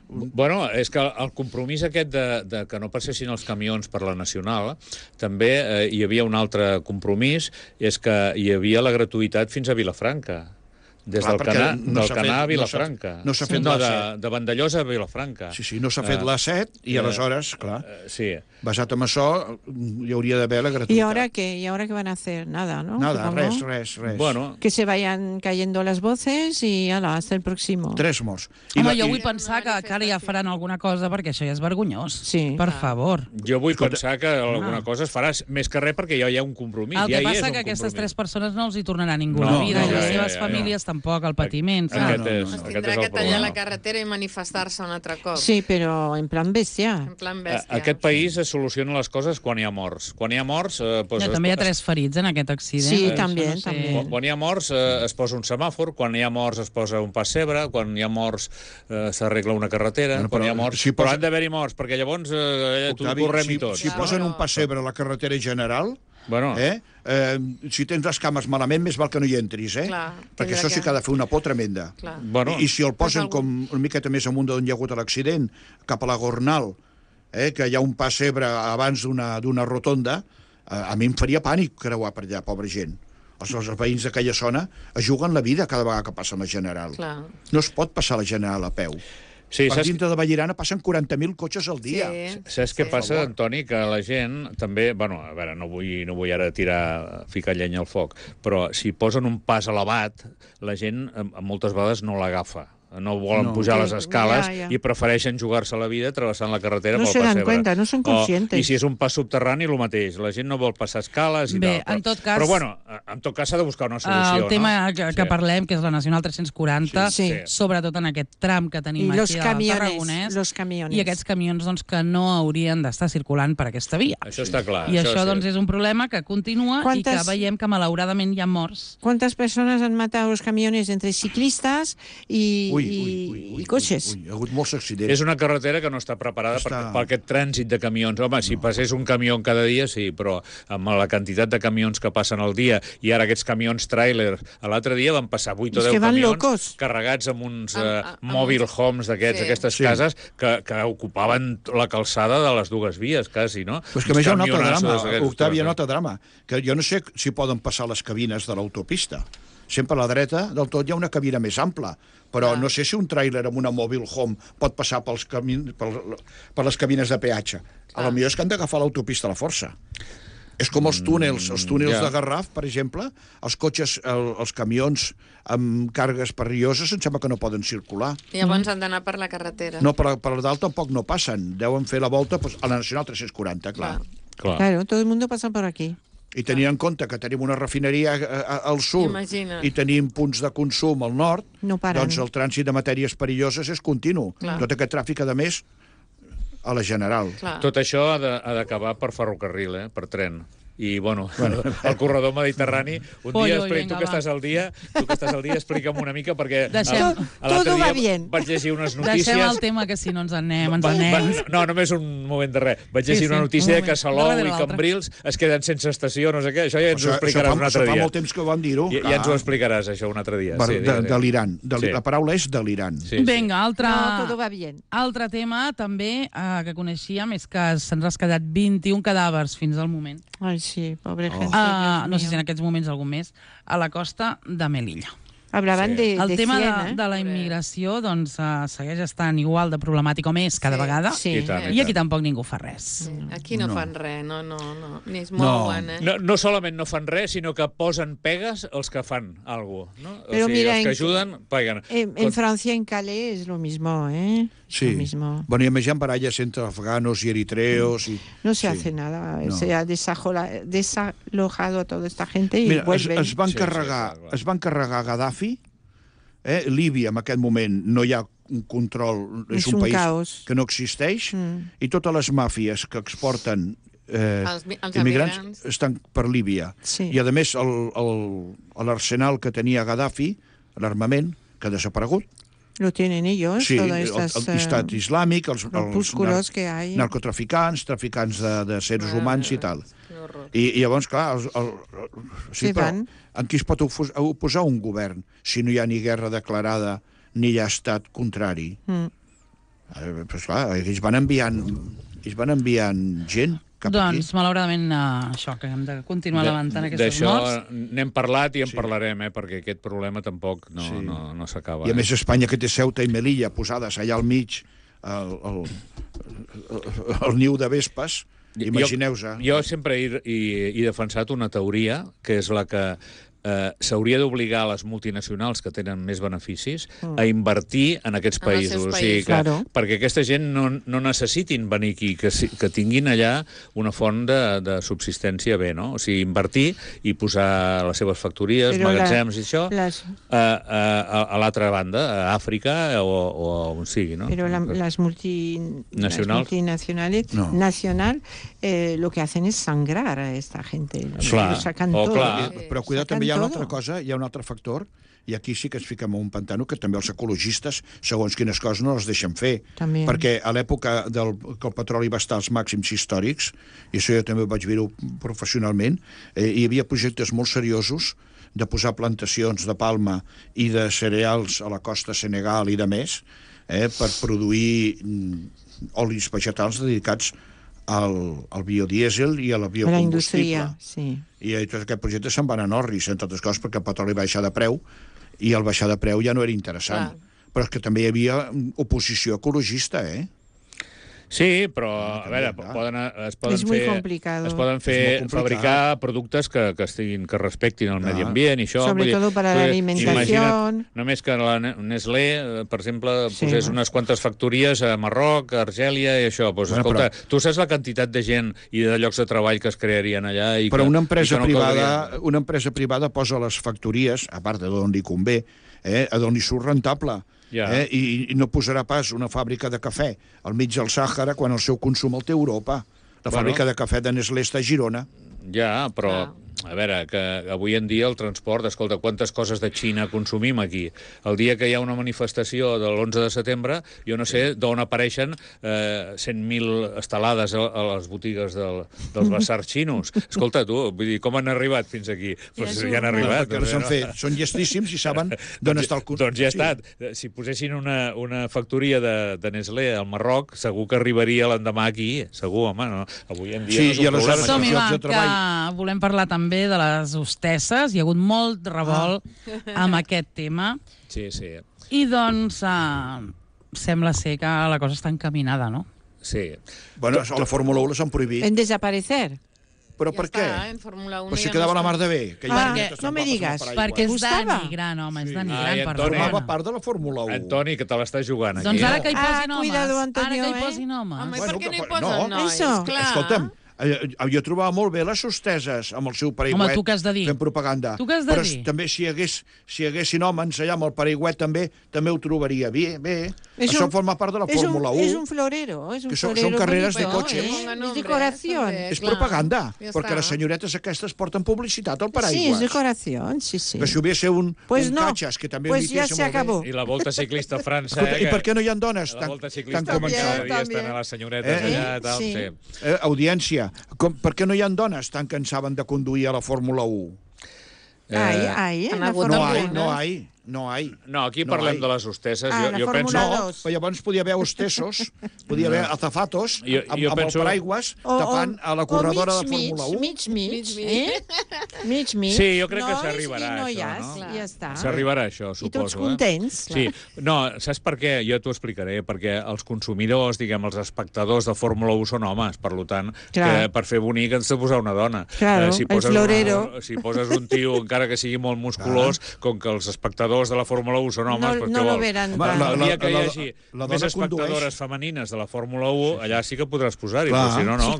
[SPEAKER 2] Bueno, és que el compromís aquest de que no passessin els camions per la Nacional, també hi havia un altre compromís, és que hi havia la gratuïtat fins a Vilafranca. Des del Canà a Vilafranca.
[SPEAKER 3] No s'ha fet la 7.
[SPEAKER 2] De Vandellós a Vilafranca.
[SPEAKER 3] Sí, no s'ha fet la 7 i aleshores, clar,
[SPEAKER 2] sí.
[SPEAKER 3] basat en això, hi hauria d'haver la gratuïtat.
[SPEAKER 5] ¿Y ahora qué? ¿Y ahora qué van a hacer? Nada, ¿no?
[SPEAKER 3] Nada,
[SPEAKER 5] Supongo.
[SPEAKER 3] res.
[SPEAKER 2] Bueno,
[SPEAKER 5] Que se vayan cayendo las voces y ala, hasta el próximo.
[SPEAKER 3] 3 morts.
[SPEAKER 1] Home, jo vull pensar que ara ja faran alguna cosa perquè això ja és vergonyós.
[SPEAKER 5] Sí.
[SPEAKER 1] Per favor.
[SPEAKER 2] jo vull pensar que alguna cosa es farà, més que res perquè ja hi ha un compromís.
[SPEAKER 1] El que
[SPEAKER 2] ja hi és
[SPEAKER 1] passa
[SPEAKER 2] un
[SPEAKER 1] que aquestes
[SPEAKER 2] compromís.
[SPEAKER 1] 3 persones no els hi tornarà ningú
[SPEAKER 2] No,
[SPEAKER 1] la vida,
[SPEAKER 2] no,
[SPEAKER 1] i les
[SPEAKER 2] ja,
[SPEAKER 1] seves
[SPEAKER 2] ja,
[SPEAKER 1] famílies tampoc, el patiment.
[SPEAKER 2] Aquest és
[SPEAKER 4] Es
[SPEAKER 2] el
[SPEAKER 4] tindrà que tallar
[SPEAKER 2] problema.
[SPEAKER 4] la carretera i manifestar-se un altre cop.
[SPEAKER 5] Sí, pero en plan bestia.
[SPEAKER 4] En plan bèstia.
[SPEAKER 2] Aquest país es soluciona les coses quan hi ha morts. Quan hi ha morts...
[SPEAKER 1] Ja, també hi ha 3 ferits en aquest accident.
[SPEAKER 5] Sí,
[SPEAKER 1] Això
[SPEAKER 5] també,
[SPEAKER 1] no sé.
[SPEAKER 5] també.
[SPEAKER 2] Quan hi ha morts es posa un semàfor, quan hi ha morts es posa un pessebre, quan hi ha morts s'arregla una carretera,
[SPEAKER 3] Bueno,
[SPEAKER 2] quan
[SPEAKER 3] però
[SPEAKER 2] hi ha morts...
[SPEAKER 3] si
[SPEAKER 2] Però
[SPEAKER 3] posa-
[SPEAKER 2] han d'haver-hi morts, perquè llavors
[SPEAKER 3] Octavi,
[SPEAKER 2] correm i tots.
[SPEAKER 3] si posen un pessebre a la carretera general,
[SPEAKER 2] Bueno,
[SPEAKER 3] si tens les cames malament, més val que no hi entris,
[SPEAKER 4] Clar,
[SPEAKER 3] perquè
[SPEAKER 4] tindrà
[SPEAKER 3] això sí que ha de fer una por tremenda.
[SPEAKER 4] Clar.
[SPEAKER 2] bueno,
[SPEAKER 3] I si el posen
[SPEAKER 4] Pues
[SPEAKER 3] com una miqueta més amunt d'on hi ha hagut l'accident, cap a la Gornal, que hi ha un pessebre abans d'una rotonda, a mi em faria pànic creuar per allà, pobra gent. Els veïns d'aquella zona es juguen la vida cada vegada que passa la General.
[SPEAKER 4] Clar.
[SPEAKER 3] No es pot passar la General a peu.
[SPEAKER 2] sí,
[SPEAKER 3] Per dintre de Vallirana passen 40.000 cotxes al dia.
[SPEAKER 2] Saps què passa, Antoni? Que la gent també... Bueno, a veure, no vull ara ficar llenya al foc, però si posen un pas elevat, la gent moltes vegades no l'agafa. No volen pujar les escales
[SPEAKER 5] Ja.
[SPEAKER 2] i prefereixen jugar-se la vida travessant la carretera
[SPEAKER 5] No
[SPEAKER 2] pel
[SPEAKER 5] se dan
[SPEAKER 2] pessebre.
[SPEAKER 5] cuenta, no son conscientes.
[SPEAKER 2] I si és un pas subterrani, el mateix. La gent no vol passar escales i
[SPEAKER 1] Bé,
[SPEAKER 2] tal.
[SPEAKER 1] en tot cas-
[SPEAKER 2] Però, bueno, en tot cas s'ha de buscar una solució,
[SPEAKER 1] El tema
[SPEAKER 2] no?
[SPEAKER 1] que parlem, que és la Nacional 340,
[SPEAKER 5] Sí.
[SPEAKER 1] sobretot en aquest tram que tenim
[SPEAKER 5] Y los
[SPEAKER 1] aquí al
[SPEAKER 5] camiones,
[SPEAKER 1] Tarragonès,
[SPEAKER 5] los camiones.
[SPEAKER 1] i aquests camions doncs, que no haurien d'estar circulant per aquesta via.
[SPEAKER 2] Això està clar.
[SPEAKER 1] I això
[SPEAKER 2] sí.
[SPEAKER 1] doncs, és un problema que continua i que
[SPEAKER 5] Quantes-
[SPEAKER 1] veiem que malauradament hi ha morts.
[SPEAKER 5] ¿Cuántas personas han matado los camiones entre ciclistas y coches?
[SPEAKER 3] Hi ha hagut molts accidents.
[SPEAKER 2] És una carretera que no està preparada per aquest trànsit de camions. Home, si passés un camió cada dia, sí, però amb la quantitat de camions que passen al dia, i ara aquests camions tràiler, l'altre dia van passar 8 o
[SPEAKER 5] És
[SPEAKER 2] 10
[SPEAKER 5] que van
[SPEAKER 2] camions
[SPEAKER 5] locos.
[SPEAKER 2] carregats amb uns
[SPEAKER 4] Amb
[SPEAKER 2] mobile
[SPEAKER 4] uns-
[SPEAKER 2] homes d'aquests,
[SPEAKER 4] Sí.
[SPEAKER 2] aquestes
[SPEAKER 3] Sí.
[SPEAKER 2] cases, que ocupaven la calçada de les dues vies, quasi, no?
[SPEAKER 3] Però és que a més hi ha un altre
[SPEAKER 2] Camionassos
[SPEAKER 3] drama,
[SPEAKER 2] d'aquests,
[SPEAKER 3] Octavi, hi ha un
[SPEAKER 2] ostres.
[SPEAKER 3] altre drama, que jo no sé si poden passar les cabines de l'autopista. Sempre a la dreta del tot hi ha una cabina més ampla, però no sé si un tràiler amb una mobile home pot passar per les cabines de peatge. A lo millor és que han d'agafar l'autopista a la força. És com els túnels
[SPEAKER 2] ja.
[SPEAKER 3] de Garraf, per exemple, els cotxes, els camions amb càrregues perilloses em sembla que no poden circular.
[SPEAKER 4] I llavors han d'anar per la carretera.
[SPEAKER 3] No, per dalt tampoc no passen. Deuen fer la volta doncs, a la Nacional 340, clar.
[SPEAKER 2] Clar.
[SPEAKER 5] Claro, todo el mundo pasa por aquí.
[SPEAKER 3] I tenint en compte que tenim una refineria al sud
[SPEAKER 4] Imagina't.
[SPEAKER 3] i tenim punts de consum al nord,
[SPEAKER 5] No paren.
[SPEAKER 3] doncs el trànsit de matèries perilloses és continu.
[SPEAKER 4] Clar.
[SPEAKER 3] Tot aquest tràfic, a més, a la General.
[SPEAKER 4] Clar.
[SPEAKER 2] Tot això ha d'acabar per ferrocarril, per tren. I, bueno, el corredor mediterrani... Un
[SPEAKER 1] Oi,
[SPEAKER 2] dia,
[SPEAKER 1] oi,
[SPEAKER 2] tu
[SPEAKER 1] vinga,
[SPEAKER 2] que
[SPEAKER 1] va.
[SPEAKER 2] estàs al dia, explica'm una mica, perquè
[SPEAKER 1] Deixem-
[SPEAKER 2] l'altre
[SPEAKER 5] Todo va
[SPEAKER 2] dia
[SPEAKER 5] bien.
[SPEAKER 2] vaig llegir unes notícies...
[SPEAKER 1] Deixem el tema, que si no ens anem,
[SPEAKER 2] No, només un moment de res. Vaig
[SPEAKER 1] Sí,
[SPEAKER 2] llegir una
[SPEAKER 1] sí,
[SPEAKER 2] notícia
[SPEAKER 1] un
[SPEAKER 2] de que
[SPEAKER 1] moment.
[SPEAKER 2] Salou
[SPEAKER 1] Darrere
[SPEAKER 2] i
[SPEAKER 1] l'altre.
[SPEAKER 2] Cambrils es queden sense estació, no sé què. Això ja ens ho
[SPEAKER 3] Això
[SPEAKER 2] explicaràs un altre
[SPEAKER 3] fa
[SPEAKER 2] dia.
[SPEAKER 3] molt temps que vam dir-ho.
[SPEAKER 2] Ja ens ho explicaràs, això, un altre dia. Sí,
[SPEAKER 3] Delirant.
[SPEAKER 2] Sí.
[SPEAKER 3] La paraula és delirant.
[SPEAKER 2] Sí, sí.
[SPEAKER 1] Vinga,
[SPEAKER 5] No, todo va bien.
[SPEAKER 1] altre tema també que coneixíem és que se'ns ha quedat 21 cadàvers fins al moment.
[SPEAKER 5] Ay, sí, pobre gente.
[SPEAKER 1] No
[SPEAKER 5] Dios
[SPEAKER 1] sé si en
[SPEAKER 5] mío.
[SPEAKER 1] aquests moments algun més, a la costa de Melilla.
[SPEAKER 5] Hablaban
[SPEAKER 2] Sí.
[SPEAKER 5] de
[SPEAKER 1] El tema
[SPEAKER 5] 100,
[SPEAKER 1] de la immigració doncs, segueix estant igual de problemàtic o més cada
[SPEAKER 4] Sí.
[SPEAKER 1] vegada,
[SPEAKER 5] Sí.
[SPEAKER 2] I tant,
[SPEAKER 1] i aquí tampoc ningú fa res.
[SPEAKER 4] Aquí no fan res, no. Ni es mouen,
[SPEAKER 2] No solament no fan res, sinó que posen pegues els que fan alguna cosa. No?
[SPEAKER 5] Però mira,
[SPEAKER 2] els que
[SPEAKER 5] en-
[SPEAKER 2] ajuden, peguen.
[SPEAKER 5] En Francia, en Calais, es lo mismo, ¿eh?
[SPEAKER 3] Sí.
[SPEAKER 5] Lo mismo.
[SPEAKER 3] Bueno, i a més hi ha baralles entre afganos i eritreos.
[SPEAKER 5] No se
[SPEAKER 3] Sí.
[SPEAKER 5] hace nada.
[SPEAKER 3] No.
[SPEAKER 5] Se ha desalojado a toda esta gente y
[SPEAKER 3] Mira,
[SPEAKER 5] vuelven.
[SPEAKER 3] es van
[SPEAKER 2] Sí,
[SPEAKER 3] carregar,
[SPEAKER 2] sí, clar.
[SPEAKER 3] es van carregar Gaddafi. Líbia, en aquest moment, no hi ha un control, és
[SPEAKER 5] És
[SPEAKER 3] un
[SPEAKER 5] un
[SPEAKER 3] país
[SPEAKER 5] caos.
[SPEAKER 3] que no existeix,
[SPEAKER 5] Mm.
[SPEAKER 3] i totes les màfies que exporten
[SPEAKER 4] Els
[SPEAKER 3] immigrants estan per Líbia.
[SPEAKER 5] Sí.
[SPEAKER 3] I, a més, l'arsenal que tenia Gaddafi, l'armament, que ha desaparegut.
[SPEAKER 5] Lo tienen ellos,
[SPEAKER 3] Sí,
[SPEAKER 5] todas estas
[SPEAKER 3] l'Estat Islàmic, els
[SPEAKER 5] grupúsculos que hay.
[SPEAKER 3] narcotraficants, traficants de seres humans i tal. I llavors, clar, sí, però en qui es pot oposar un govern si no hi ha ni guerra declarada ni hi ha estat contrari? Pues clar, ells van enviant gent cap aquí.
[SPEAKER 1] Doncs, malauradament, això, que hem de continuar levantant aquestes morts.
[SPEAKER 2] D'això n'hem parlat i en parlarem, perquè aquest problema tampoc no s'acaba.
[SPEAKER 3] I a més Espanya, que té Ceuta i Melilla posades allà al mig, el niu de vespes, imagineu-vos.
[SPEAKER 2] Jo sempre he defensat una teoria, que és la que s'hauria d'obligar les multinacionals que tenen més beneficis a invertir en aquests països. O sigui perquè aquesta gent no necessitin venir aquí, que tinguin allà una font de subsistència bé, no? O sigui, invertir i posar les seves factories, magatzems i això, a l'altra banda, a Àfrica o on sigui, no?
[SPEAKER 5] Pero las multinacionales lo que hacen es sangrar a esta gente.
[SPEAKER 2] Clar,
[SPEAKER 5] sacan todo.
[SPEAKER 3] Però cuidado, també hi ha una altra cosa, hi ha un altre factor, i aquí sí que ens fiquem en un pantano que també els ecologistes, segons quines coses, no les deixen fer.
[SPEAKER 5] També.
[SPEAKER 3] Perquè a l'època que el petroli va estar als màxims històrics, i això jo també ho vaig veure professionalment, hi havia projectes molt seriosos de posar plantacions de palma i de cereals a la costa Senegal i de més, per produir olis vegetals dedicats al biodièsel i a la biocombustible.
[SPEAKER 5] La indústria, sí.
[SPEAKER 3] I tots aquests projectes se'n van a Norris, entre altres coses, perquè el petroli va baixar de preu, i el baixar de preu ja no era interessant. Però és que també hi havia oposició ecologista,
[SPEAKER 2] Sí, però, a veure, es poden fabricar productes que respectin el medi ambient i això.
[SPEAKER 5] Sobre todo para la alimentación.
[SPEAKER 2] Només que la Nestlé, per exemple, posés unes quantes factories a Marroc, a Argèlia i això. Pues, escolta, tu saps la quantitat de gent i de llocs de treball que es crearien allà?
[SPEAKER 3] Però una empresa privada posa les factories, a part d'on li convé, d'on li surt rentable. I no posarà pas una fàbrica de cafè al mig del Sàhara quan el seu consum el té Europa. La fàbrica de cafè de Nestlé està a Girona.
[SPEAKER 2] Ja, però, a veure, que avui en dia el transport, escolta, quantes coses de Xina consumim aquí? El dia que hi ha una manifestació de l'11 de setembre, jo no sé d'on apareixen 100.000 estelades a les botigues dels basars xinos. Escolta, tu, vull dir, com han arribat fins aquí? Pues ja han arribat.
[SPEAKER 3] Perquè no s'han fet. Són llestíssims i saben d'on està el consum.
[SPEAKER 2] Doncs ja ha estat. Si posessin una factoria de Nestlé al Marroc, segur que arribaria l'endemà aquí. Segur, home, no? Avui en dia no és un problema.
[SPEAKER 1] Som-hi, va, que volem parlar també de les hostesses. Hi ha hagut molt revolt amb aquest tema.
[SPEAKER 2] Sí.
[SPEAKER 1] I doncs sembla ser que la cosa està encaminada, no?
[SPEAKER 2] Sí.
[SPEAKER 3] Bueno, a la Fórmula 1 les han prohibit.
[SPEAKER 5] En desaparecer.
[SPEAKER 3] Però per què? Però si quedava la mar de bé.
[SPEAKER 5] No me digues.
[SPEAKER 1] Perquè és denigrant, home, és denigrant.
[SPEAKER 3] Formava part de la Fórmula 1.
[SPEAKER 2] Antoni, que te l'estàs jugant aquí.
[SPEAKER 1] Doncs ara que hi posin homes.
[SPEAKER 5] Cuidado, Antonio,
[SPEAKER 1] Ara que hi posin homes.
[SPEAKER 4] Home, per què no hi posen nois?
[SPEAKER 3] Escolta'm, jo trobava molt bé les hosteses amb el seu paraigüet.
[SPEAKER 1] Home, tu què has de dir?
[SPEAKER 3] Fent propaganda.
[SPEAKER 1] Tu què has de dir?
[SPEAKER 3] Però també si hi haguessin homes allà amb el paraigüet també ho trobaria bé. Això forma part de la Fórmula 1.
[SPEAKER 5] És un florero.
[SPEAKER 3] Són carreres de cotxes.
[SPEAKER 5] És decoració.
[SPEAKER 3] És propaganda, perquè les senyoretes aquestes porten publicitat al paraigües.
[SPEAKER 5] Sí, és decoració, sí.
[SPEAKER 3] Que si hubiese un catxes, que també
[SPEAKER 5] pues ya se acabó.
[SPEAKER 2] I la Volta Ciclista a França.
[SPEAKER 3] I per què no hi ha dones tan començades?
[SPEAKER 2] Ja estan a les senyoretes allà, tal, sí.
[SPEAKER 3] Audiència, per què no hi ha dones tant que en saben de conduir a la Fórmula 1? No hay.
[SPEAKER 2] No, aquí parlem de les hostesses.
[SPEAKER 5] Jo penso...
[SPEAKER 3] Però llavors podia haver hostessos, podia haver azafatos amb el paraigües tapant a la corredora de Fórmula 1.
[SPEAKER 5] Mig.
[SPEAKER 2] Sí, jo crec que s'arribarà a això, no?
[SPEAKER 5] Ja està.
[SPEAKER 2] S'arribarà a això, suposo.
[SPEAKER 5] I tots contents.
[SPEAKER 2] Sí. No, saps per què? Jo t'ho explicaré. Perquè els consumidors, els espectadors de Fórmula 1 són homes. Per tant, per fer bonic ens de posar una dona.
[SPEAKER 5] Claro, el florero.
[SPEAKER 2] Si poses un tio, encara que sigui molt musculós, com que els espectadors de la Fórmula 1 són homes,
[SPEAKER 5] no lo veran.
[SPEAKER 2] El dia que hi hagi més espectadores femenines de la Fòrmula 1, allà sí que podràs posar-hi, però si no, no.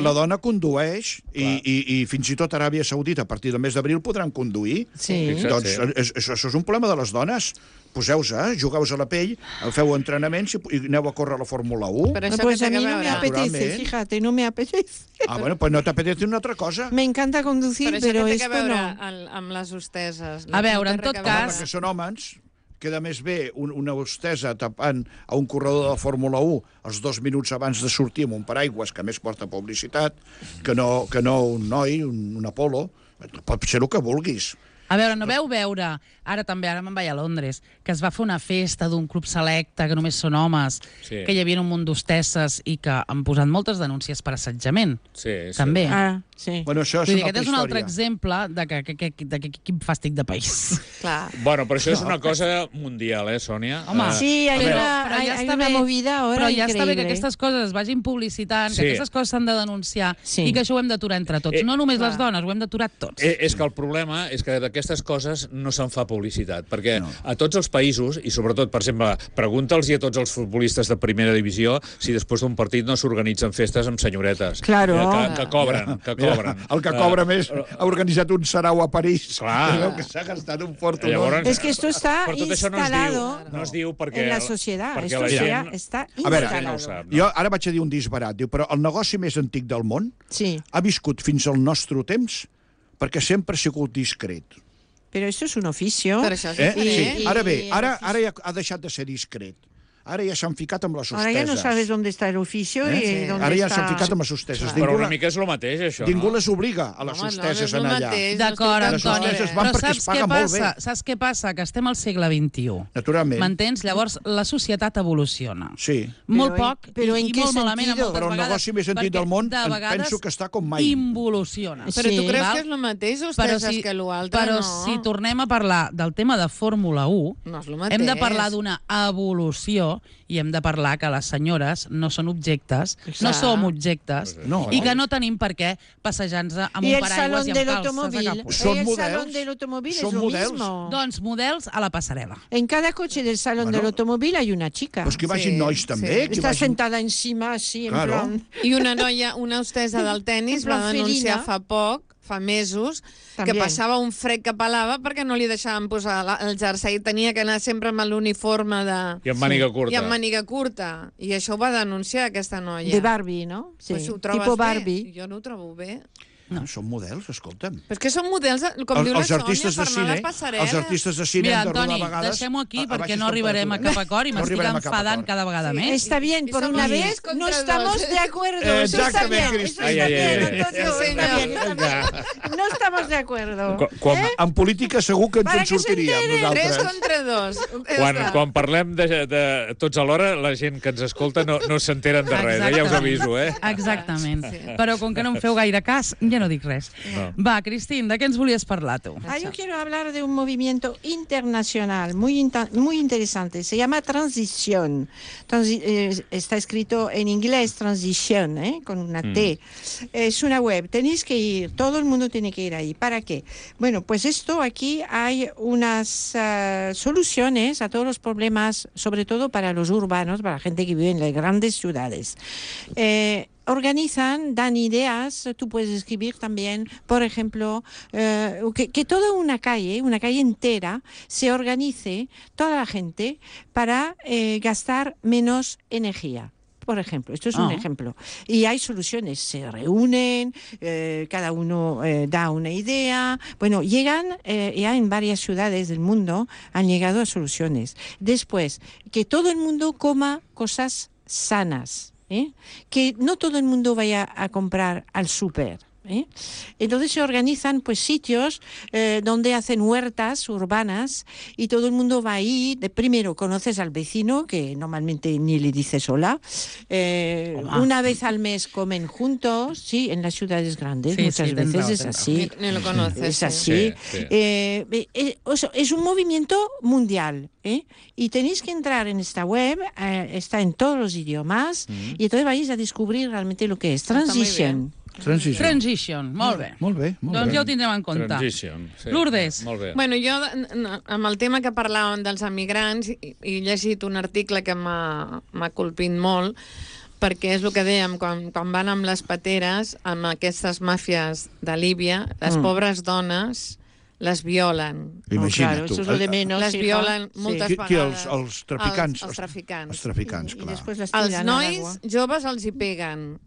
[SPEAKER 3] La dona condueix i fins i tot a Aràbia Saudita, a partir del mes d'abril, podran conduir.
[SPEAKER 5] Sí.
[SPEAKER 3] Doncs això és un problema de les dones. poseu-se, jugueu-vos a la pell, feu entrenaments i aneu a córrer a la Fórmula 1.
[SPEAKER 4] Però això
[SPEAKER 5] Pues
[SPEAKER 4] que
[SPEAKER 5] a
[SPEAKER 4] té
[SPEAKER 5] mí
[SPEAKER 4] que
[SPEAKER 5] no me
[SPEAKER 4] veure...
[SPEAKER 5] apetece,
[SPEAKER 3] Naturalment.
[SPEAKER 5] fíjate, no me apetece.
[SPEAKER 3] Bueno, pues no t'apetece una altra cosa.
[SPEAKER 5] Me encanta conducir,
[SPEAKER 4] Però això
[SPEAKER 5] pero
[SPEAKER 4] que té que
[SPEAKER 5] esto
[SPEAKER 4] veure
[SPEAKER 5] no.
[SPEAKER 4] amb les hosteses?
[SPEAKER 1] A veure,
[SPEAKER 4] No té
[SPEAKER 1] en tot
[SPEAKER 4] res a veure.
[SPEAKER 1] cas-
[SPEAKER 3] Perquè són homes, queda més bé una hostessa tapant a un corredor de la Fórmula 1 els 2 minuts abans de sortir amb un paraigües que a més porta publicitat, que no un noi, un Apolo. Pot ser el que vulguis.
[SPEAKER 1] A veure, no veu veure, ara me'n vaig a Londres, que es va fer una festa d'un club selecte, que només són homes,
[SPEAKER 2] Sí.
[SPEAKER 1] que hi havia un munt d'hostesses i que han posat moltes denúncies per assetjament.
[SPEAKER 2] Sí, sí.
[SPEAKER 1] També.
[SPEAKER 5] Ah, sí.
[SPEAKER 3] Bueno, això és
[SPEAKER 1] Vull dir,
[SPEAKER 3] una
[SPEAKER 1] aquest
[SPEAKER 3] altra
[SPEAKER 1] és un altre
[SPEAKER 3] història.
[SPEAKER 1] exemple de que quin fàstic de país.
[SPEAKER 4] Clar.
[SPEAKER 2] Bueno, però això és una cosa mundial, Sònia?
[SPEAKER 1] Home,
[SPEAKER 5] Sí, hay
[SPEAKER 1] Però-
[SPEAKER 5] una,
[SPEAKER 1] però
[SPEAKER 5] hay,
[SPEAKER 1] ja
[SPEAKER 5] hay
[SPEAKER 1] està
[SPEAKER 5] una
[SPEAKER 1] bé,
[SPEAKER 5] movida ahora
[SPEAKER 1] Però ja està bé que
[SPEAKER 5] increíble.
[SPEAKER 1] aquestes coses es vagin publicitant,
[SPEAKER 2] Sí.
[SPEAKER 1] que aquestes coses s'han de denunciar
[SPEAKER 5] Sí.
[SPEAKER 1] i que això ho hem d'aturar entre tots. No només
[SPEAKER 4] clar.
[SPEAKER 1] les dones, ho hem d'aturar tots.
[SPEAKER 2] És que el problema és que d'aquestes coses no se'n fa publicitat, perquè a tots els països, i sobretot, per exemple, pregunta'ls a tots els futbolistes de primera divisió si després d'un partit no s'organitzen festes amb senyoretes.
[SPEAKER 5] Claro.
[SPEAKER 2] Que cobren, que cobren.
[SPEAKER 3] El que cobra més ha organitzat un sarau a París.
[SPEAKER 2] Clar.
[SPEAKER 3] Veu que s'ha gastat un fortunós.
[SPEAKER 2] Llavors,
[SPEAKER 5] Es que esto está
[SPEAKER 2] però tot això
[SPEAKER 5] instalado
[SPEAKER 2] no es diu perquè...
[SPEAKER 5] en la sociedad.
[SPEAKER 2] perquè
[SPEAKER 5] Esto
[SPEAKER 2] la
[SPEAKER 5] ya
[SPEAKER 2] gent...
[SPEAKER 5] está
[SPEAKER 3] A veure,
[SPEAKER 2] la gent no ho
[SPEAKER 5] instalado.
[SPEAKER 2] sap. No?
[SPEAKER 3] Jo ara vaig a dir un disbarat, diu, però el negoci més antic del món
[SPEAKER 5] Sí,
[SPEAKER 3] ha viscut fins al nostre temps perquè sempre ha sigut discret.
[SPEAKER 5] pero esto es un oficio.
[SPEAKER 4] Però això és
[SPEAKER 3] Eh?
[SPEAKER 4] diferent.
[SPEAKER 3] Sí. Ara bé,
[SPEAKER 5] I-
[SPEAKER 3] ara ja ha deixat de ser discret. Ara ja s'han ficat amb les
[SPEAKER 5] Ahora
[SPEAKER 3] hosteses.
[SPEAKER 5] ya no sabes dónde está el oficio y
[SPEAKER 3] Sí.
[SPEAKER 5] dónde
[SPEAKER 3] Ara ja
[SPEAKER 5] está...
[SPEAKER 3] s'han ficat amb les hosteses.
[SPEAKER 2] Però una mica és el mateix, això,
[SPEAKER 3] Ningú
[SPEAKER 2] no?
[SPEAKER 3] les obliga a les
[SPEAKER 4] Home,
[SPEAKER 3] hosteses
[SPEAKER 4] no,
[SPEAKER 3] a
[SPEAKER 4] és el
[SPEAKER 3] anar allà.
[SPEAKER 4] mateix.
[SPEAKER 1] D'acord,
[SPEAKER 4] no
[SPEAKER 3] Les
[SPEAKER 4] estic
[SPEAKER 1] Antoni,
[SPEAKER 4] d'acord,
[SPEAKER 3] hosteses van
[SPEAKER 1] però
[SPEAKER 3] perquè es paga molt bé.
[SPEAKER 1] Saps què passa? Que estem al segle XXI.
[SPEAKER 3] Naturalment.
[SPEAKER 1] M'entens? Llavors, la societat evoluciona.
[SPEAKER 3] Sí.
[SPEAKER 1] Molt
[SPEAKER 5] Però
[SPEAKER 1] poc
[SPEAKER 5] però
[SPEAKER 1] i
[SPEAKER 5] en què
[SPEAKER 1] molt malament
[SPEAKER 5] sentido?
[SPEAKER 1] moltes
[SPEAKER 3] Però el
[SPEAKER 1] vegades,
[SPEAKER 3] negoci més antic
[SPEAKER 1] perquè
[SPEAKER 3] del món
[SPEAKER 1] de
[SPEAKER 3] em
[SPEAKER 1] vegades
[SPEAKER 3] penso que està com mai.
[SPEAKER 1] involuciona.
[SPEAKER 4] Però tu
[SPEAKER 5] Sí.
[SPEAKER 4] creus
[SPEAKER 1] Val?
[SPEAKER 4] que és el mateix, hosteses, que l'altre?
[SPEAKER 1] però
[SPEAKER 4] no.
[SPEAKER 1] si tornem a parlar del tema de Fórmula 1,
[SPEAKER 4] No és el mateix.
[SPEAKER 1] hem de parlar d'una evolució i hem de parlar que les senyores no són objectes, no
[SPEAKER 5] Clar.
[SPEAKER 1] som objectes,
[SPEAKER 3] No.
[SPEAKER 1] i que no tenim per què passejar-nos amb
[SPEAKER 5] Y
[SPEAKER 1] un
[SPEAKER 5] el
[SPEAKER 1] paraigües
[SPEAKER 5] salón
[SPEAKER 1] i
[SPEAKER 5] del
[SPEAKER 1] amb calces a
[SPEAKER 5] automóvil.
[SPEAKER 1] caput.
[SPEAKER 3] Són
[SPEAKER 5] El
[SPEAKER 3] models.
[SPEAKER 5] salón del automóvil es
[SPEAKER 3] Són
[SPEAKER 5] lo
[SPEAKER 3] models.
[SPEAKER 5] mismo.
[SPEAKER 1] Doncs models a la passarel·la.
[SPEAKER 5] En cada coche del salón del automóvil hay una chica.
[SPEAKER 3] Pues que vagin
[SPEAKER 4] Sí,
[SPEAKER 3] nois
[SPEAKER 4] sí.
[SPEAKER 3] també. Que
[SPEAKER 5] Está
[SPEAKER 3] vagin...
[SPEAKER 5] sentada encima así, en
[SPEAKER 3] Claro.
[SPEAKER 5] plan...
[SPEAKER 4] I una noia, una hostessa del tennis,
[SPEAKER 5] En plan
[SPEAKER 4] va denunciar
[SPEAKER 5] felina.
[SPEAKER 4] fa mesos,
[SPEAKER 5] També.
[SPEAKER 4] que passava un fred que pelava perquè no li deixaven posar el jersei. Tenia que anar sempre amb l'uniforme de...
[SPEAKER 2] I amb màniga curta.
[SPEAKER 4] I amb màniga curta. I això ho va denunciar, aquesta noia.
[SPEAKER 5] De Barbie, ¿no? Sí,
[SPEAKER 4] Pues ho trobes
[SPEAKER 5] tipo
[SPEAKER 4] bé?
[SPEAKER 5] Barbie.
[SPEAKER 4] Jo no ho trobo bé.
[SPEAKER 3] No. Són models, escolta'm.
[SPEAKER 4] Però és que són models, com diu la
[SPEAKER 3] Els
[SPEAKER 4] Sònia,
[SPEAKER 3] artistes de
[SPEAKER 4] per anar a
[SPEAKER 3] cine,
[SPEAKER 4] la passarel·la.
[SPEAKER 3] els artistes de cine
[SPEAKER 1] Mira,
[SPEAKER 3] hem de rodar
[SPEAKER 1] Antoni,
[SPEAKER 3] a vegades...
[SPEAKER 1] deixem-ho aquí
[SPEAKER 3] a
[SPEAKER 1] perquè
[SPEAKER 3] baixes
[SPEAKER 1] no arribarem a
[SPEAKER 3] temperatures.
[SPEAKER 1] cap acord i
[SPEAKER 3] No
[SPEAKER 1] m'estic
[SPEAKER 3] arribarem a cap
[SPEAKER 1] enfadant
[SPEAKER 3] acord.
[SPEAKER 1] cada vegada
[SPEAKER 4] Sí.
[SPEAKER 1] més.
[SPEAKER 5] Está bien,
[SPEAKER 4] Y
[SPEAKER 5] por
[SPEAKER 4] somos
[SPEAKER 5] una
[SPEAKER 4] 10
[SPEAKER 5] vez
[SPEAKER 4] contra
[SPEAKER 5] no
[SPEAKER 4] dos.
[SPEAKER 5] estamos de acuerdo. Eso está
[SPEAKER 3] Exactament,
[SPEAKER 5] bien, eso
[SPEAKER 2] Ai,
[SPEAKER 5] está
[SPEAKER 2] ai, ai,
[SPEAKER 5] bien,
[SPEAKER 2] ai.
[SPEAKER 5] Antonio,
[SPEAKER 4] Sí,
[SPEAKER 5] está
[SPEAKER 4] senyor.
[SPEAKER 5] bien, está bien. No estamos de acuerdo.
[SPEAKER 2] Quan,
[SPEAKER 3] En política segur que ens
[SPEAKER 5] Para
[SPEAKER 3] en
[SPEAKER 5] que se
[SPEAKER 3] sortiríem,
[SPEAKER 5] enteren.
[SPEAKER 4] 3
[SPEAKER 3] nosaltres.
[SPEAKER 4] contra 2.
[SPEAKER 2] quan parlem de tots alhora, la gent que ens escolta no s'enteren de res, ja us aviso, eh?
[SPEAKER 1] Exactament. Però com que no em feu gaire cas, ja no dic res.
[SPEAKER 2] No.
[SPEAKER 1] Va, Cristín, de què ens volies parlar, tu?
[SPEAKER 5] Yo quiero hablar de un movimiento internacional muy interesante. Se llama Transición. Está escrito en inglés Transition, con una T. Es una web. Tenéis que ir. Todo el mundo tiene que ir ahí. ¿Para qué? Bueno, pues aquí hay unas soluciones a todos los problemas, sobre todo para los urbanos, para la gente que vive en las grandes ciudades. Organizan, dan ideas, tú puedes escribir también, por ejemplo, que toda una calle entera, se organice, toda la gente, para gastar menos energía. Por ejemplo, esto es un ejemplo. Y hay soluciones, se reúnen, cada uno da una idea. Bueno, llegan ya en varias ciudades del mundo, han llegado a soluciones. Después, que todo el mundo coma cosas sanas. Que no todo el mundo vaya a comprar al súper. Entonces se organizan pues sitios donde hacen huertas urbanas y todo el mundo va ahí. Primero conoces al vecino, que normalmente ni le dices hola. Una vez al mes comen juntos, sí, en las ciudades grandes
[SPEAKER 1] Sí,
[SPEAKER 5] muchas
[SPEAKER 1] sí,
[SPEAKER 5] veces
[SPEAKER 1] tendrá,
[SPEAKER 5] es
[SPEAKER 1] tendrá.
[SPEAKER 5] así.
[SPEAKER 4] Ni lo conoces.
[SPEAKER 5] Es
[SPEAKER 4] sí.
[SPEAKER 5] así.
[SPEAKER 2] Sí, sí.
[SPEAKER 5] Es un movimiento mundial, y tenéis que entrar en esta web, está en todos los idiomas, y entonces vais a descubrir realmente lo que es
[SPEAKER 4] muy
[SPEAKER 5] Transition.
[SPEAKER 1] Transition, molt bé.
[SPEAKER 3] Molt bé, molt
[SPEAKER 1] Doncs
[SPEAKER 3] bé.
[SPEAKER 1] ja ho tindrem en compte.
[SPEAKER 2] Transition. Sí.
[SPEAKER 1] Lourdes.
[SPEAKER 2] Molt bé.
[SPEAKER 4] Bueno, jo, amb el tema que parlàvem dels emigrants, he llegit un article que m'ha colpit molt, perquè és el que dèiem, quan van amb les pateres, amb aquestes màfies de Líbia, les pobres dones les violen.
[SPEAKER 3] Imagina't
[SPEAKER 5] claro,
[SPEAKER 3] tu.
[SPEAKER 5] eso es lo de menos.
[SPEAKER 4] Les
[SPEAKER 5] hija.
[SPEAKER 4] violen moltes
[SPEAKER 3] Qui,
[SPEAKER 4] vegades.
[SPEAKER 3] els traficants?
[SPEAKER 4] Els traficants.
[SPEAKER 3] Els traficants,
[SPEAKER 5] I
[SPEAKER 3] clar.
[SPEAKER 5] després les
[SPEAKER 4] Els
[SPEAKER 5] tiren a
[SPEAKER 4] nois
[SPEAKER 5] l'aigua.
[SPEAKER 4] joves els hi peguen.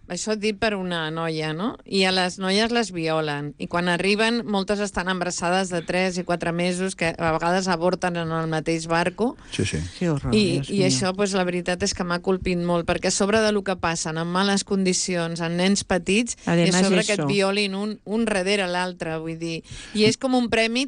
[SPEAKER 4] Això dit per una noia, no? I a les noies les violen. I quan arriben, moltes estan embarassades de 3 i 4 mesos, que a vegades avorten en el mateix barco.
[SPEAKER 3] Sí, sí.
[SPEAKER 5] Que horror,
[SPEAKER 4] I
[SPEAKER 5] Dios mío.
[SPEAKER 4] això, pues, la veritat és que m'ha colpit molt, perquè a sobre de lo que passen en males condicions, en nens petits, i a
[SPEAKER 5] Además,
[SPEAKER 4] sobre que et
[SPEAKER 5] eso.
[SPEAKER 4] violin un darrere l'altre, vull dir. I és com un premi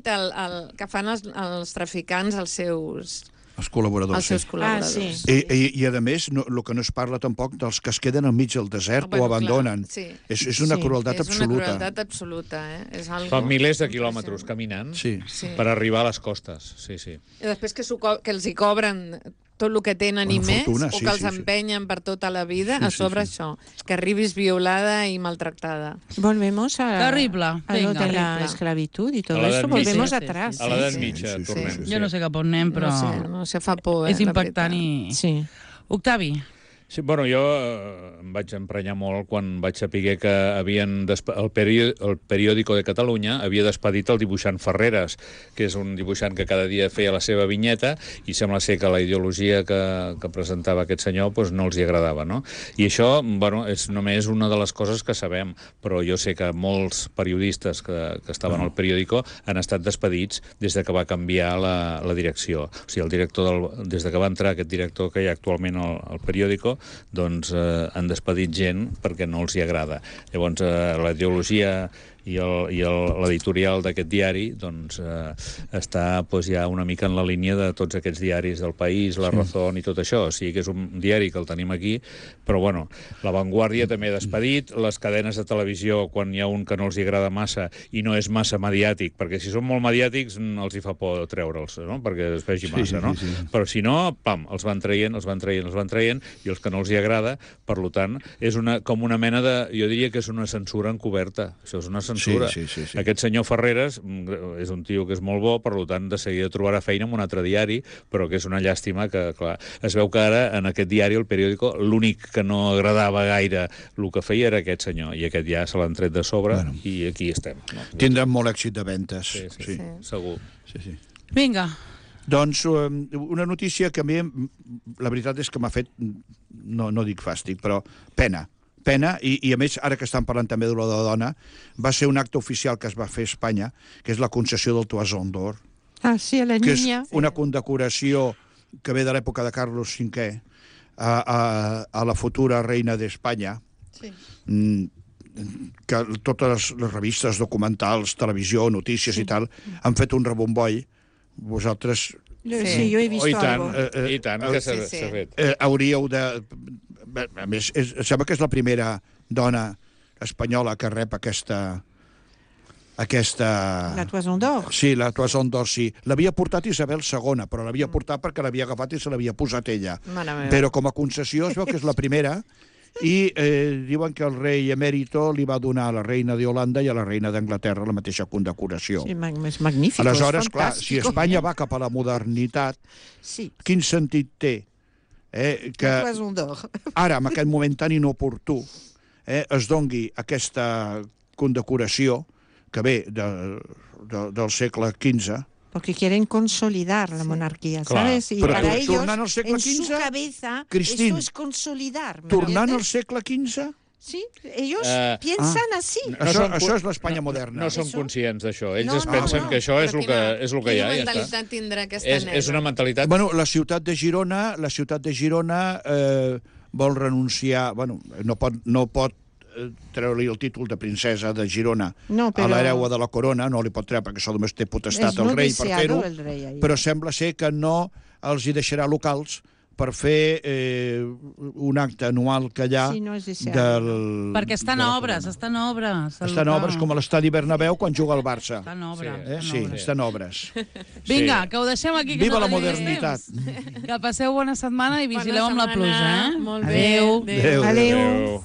[SPEAKER 4] que fan els traficants als seus
[SPEAKER 3] Els col·laboradors.
[SPEAKER 4] als seus
[SPEAKER 3] Sí.
[SPEAKER 4] col·laboradors.
[SPEAKER 5] sí.
[SPEAKER 3] I a més, el que no es parla tampoc dels que es queden enmig del desert
[SPEAKER 4] Bueno,
[SPEAKER 3] o abandonen.
[SPEAKER 4] clar, sí.
[SPEAKER 3] És una
[SPEAKER 5] Sí.
[SPEAKER 3] crueltat
[SPEAKER 4] És una
[SPEAKER 3] absoluta.
[SPEAKER 4] crueltat absoluta, És algo
[SPEAKER 2] Fa milers de quilòmetres caminant
[SPEAKER 3] Sí.
[SPEAKER 4] Sí.
[SPEAKER 2] per arribar a les costes. Sí, sí.
[SPEAKER 4] I després que els hi cobren tot el que tenen i
[SPEAKER 3] Una
[SPEAKER 4] més,
[SPEAKER 3] fortuna,
[SPEAKER 4] o
[SPEAKER 3] sí,
[SPEAKER 4] que els
[SPEAKER 3] sí, sí.
[SPEAKER 4] empenyen per tota la vida,
[SPEAKER 3] Sí,
[SPEAKER 4] a
[SPEAKER 3] sí,
[SPEAKER 4] sobre
[SPEAKER 3] sí.
[SPEAKER 4] això, que arribis violada i maltractada.
[SPEAKER 5] Volvemos a,
[SPEAKER 1] Terrible,
[SPEAKER 5] a lo
[SPEAKER 1] venga.
[SPEAKER 5] de la
[SPEAKER 4] Terrible.
[SPEAKER 5] esclavitud y todo
[SPEAKER 2] A l'edat
[SPEAKER 5] eso.
[SPEAKER 2] mitja.
[SPEAKER 5] Volvemos
[SPEAKER 4] Sí, sí,
[SPEAKER 5] atrás.
[SPEAKER 4] sí,
[SPEAKER 2] A l'edat
[SPEAKER 3] sí,
[SPEAKER 2] mitja
[SPEAKER 3] sí, sí,
[SPEAKER 2] tornem.
[SPEAKER 3] sí,
[SPEAKER 1] Jo no sé cap on anem, però
[SPEAKER 4] No sé, fa por,
[SPEAKER 1] és
[SPEAKER 4] la
[SPEAKER 1] impactant
[SPEAKER 4] veritat.
[SPEAKER 1] i...
[SPEAKER 5] Sí.
[SPEAKER 1] Octavi,
[SPEAKER 2] Sí, bueno, jo em vaig emprenyar molt quan vaig saber que el Periódico de Catalunya havia despedit el dibuixant Ferreres, que és un dibuixant que cada dia feia la seva vinyeta, i sembla ser que la ideologia que presentava aquest senyor doncs no els hi agradava, no? I això, bueno, és només una de les coses que sabem, però jo sé que molts periodistes que estaven al Periódico han estat despedits des de que va canviar la direcció. O sigui, el director des de que va entrar aquest director que hi ha actualment al Periódico, doncs han despedit gent perquè no els hi agrada. Llavors, la ideologia i l'editorial d'aquest diari doncs, està doncs, ja una mica en la línia de tots aquests diaris del País, La Razón i tot això. O sigui que és un diari que el tenim aquí, però bueno, La Vanguardia també ha despedit, les cadenes de televisió, quan hi ha un que no els hi agrada massa i no és massa mediàtic, perquè si són molt mediàtics els hi fa por treure'ls, no? Perquè es vegi massa, no?
[SPEAKER 3] Sí.
[SPEAKER 2] Però si no, pam, els van traient, i els que no els hi agrada, per tant, és com una mena de... Jo diria que és una censura encoberta. Això és una censura.
[SPEAKER 3] Sí.
[SPEAKER 2] Aquest senyor Ferreres és un tio que és molt bo, per tant, de seguida trobarà feina en un altre diari, però que és una llàstima que, clar, es veu que ara en aquest diari, el Periódico, l'únic que no agradava gaire el que feia era aquest senyor, i aquest ja se l'han tret de sobre,
[SPEAKER 3] Bueno.
[SPEAKER 2] i aquí estem. No?
[SPEAKER 3] Tindran molt èxit de ventes.
[SPEAKER 2] Sí. Segur.
[SPEAKER 3] Sí.
[SPEAKER 1] vinga.
[SPEAKER 3] Doncs una notícia que a mi, la veritat és que m'ha fet, no dic fàstic, però pena, i a més, ara que estan parlant també de la dona, va ser un acte oficial que es va fer a Espanya, que és la concessió del Toison d'Or,
[SPEAKER 5] Ah, sí, a la
[SPEAKER 3] que és
[SPEAKER 5] niña.
[SPEAKER 3] una condecoració que ve de l'època de Carlos V a la futura reina d'Espanya,
[SPEAKER 4] Sí.
[SPEAKER 3] que totes les revistes, documentals, televisió, notícies i tal, han fet un rebomboi. Vosaltres
[SPEAKER 5] Sí, yo he visto
[SPEAKER 2] I tant,
[SPEAKER 5] algo.
[SPEAKER 2] i tant, que s'ha
[SPEAKER 4] Sí.
[SPEAKER 2] fet.
[SPEAKER 3] hauríeu de... A més, sembla que és la primera dona espanyola que rep aquesta...
[SPEAKER 5] La Toison d'Or.
[SPEAKER 3] Sí, la Toison d'Or, sí. L'havia portat Isabel II, però l'havia portat perquè l'havia agafat i se l'havia posat ella.
[SPEAKER 4] Mare meva.
[SPEAKER 3] Però com a concessió es veu que és la primera, i diuen que el rei emèrito li va donar a la reina d'Holanda i a la reina d'Anglaterra la mateixa condecoració.
[SPEAKER 5] Sí, és magnífic.
[SPEAKER 3] Aleshores,
[SPEAKER 5] és
[SPEAKER 3] clar, si
[SPEAKER 5] fantàstico.
[SPEAKER 3] Espanya va cap a la modernitat,
[SPEAKER 5] Sí,
[SPEAKER 3] quin sentit té que
[SPEAKER 5] la Toison d'Or.
[SPEAKER 3] ara, en aquest moment tan inoportú, es dongui aquesta condecoració que ve del segle XV,
[SPEAKER 5] Porque quieren consolidar la monarquía,
[SPEAKER 2] Claro.
[SPEAKER 5] ¿sabes? Y
[SPEAKER 3] Pero
[SPEAKER 5] para ellos,
[SPEAKER 3] tornant al segle
[SPEAKER 5] en su
[SPEAKER 3] XV,
[SPEAKER 5] cabeza,
[SPEAKER 3] Cristín,
[SPEAKER 5] eso es consolidar. ¿me
[SPEAKER 3] tornant al
[SPEAKER 5] entiendes?
[SPEAKER 3] segle XV,
[SPEAKER 5] Sí, ellos
[SPEAKER 2] Ah.
[SPEAKER 5] piensan así.
[SPEAKER 3] això és l'Espanya moderna.
[SPEAKER 2] No són
[SPEAKER 5] Això-
[SPEAKER 2] conscients d'això. Ells
[SPEAKER 5] No,
[SPEAKER 2] es
[SPEAKER 5] no,
[SPEAKER 2] pensen
[SPEAKER 5] no.
[SPEAKER 2] que això és el que hi ha.
[SPEAKER 4] Quina
[SPEAKER 2] I ja està.
[SPEAKER 4] mentalitat tindrà aquesta nena?
[SPEAKER 2] És una mentalitat...
[SPEAKER 3] Bueno, la ciutat de Girona vol renunciar, bueno, no pot treure-li el títol de princesa de Girona
[SPEAKER 5] No,
[SPEAKER 3] a
[SPEAKER 5] però-
[SPEAKER 3] l'hereva de la corona, no li pot treure perquè això només té potestat
[SPEAKER 5] És
[SPEAKER 3] el
[SPEAKER 5] no
[SPEAKER 3] rei per
[SPEAKER 5] deseado
[SPEAKER 3] fer-ho,
[SPEAKER 5] el rei ahí.
[SPEAKER 3] però sembla ser que no els hi deixarà locals per fer un acte anual que hi ha
[SPEAKER 5] Sí, no és deseado,
[SPEAKER 1] Perquè estan
[SPEAKER 3] de la
[SPEAKER 1] obres,
[SPEAKER 3] corona.
[SPEAKER 1] estan obres.
[SPEAKER 3] Estan obres com a l'estadi Bernabéu quan juga el Barça.
[SPEAKER 1] Estan obres.
[SPEAKER 3] Sí, estan obres.
[SPEAKER 1] Vinga, que ho deixem aquí. Que
[SPEAKER 3] Viva
[SPEAKER 1] no
[SPEAKER 3] la
[SPEAKER 1] tenim més
[SPEAKER 3] modernitat.
[SPEAKER 1] temps. Que passeu bona setmana i vigileu
[SPEAKER 4] Bona
[SPEAKER 1] amb la
[SPEAKER 4] setmana.
[SPEAKER 1] pluja, eh?
[SPEAKER 4] Molt bé.
[SPEAKER 1] Adéu.
[SPEAKER 3] Adéu.
[SPEAKER 5] Adéu.
[SPEAKER 2] Adéu.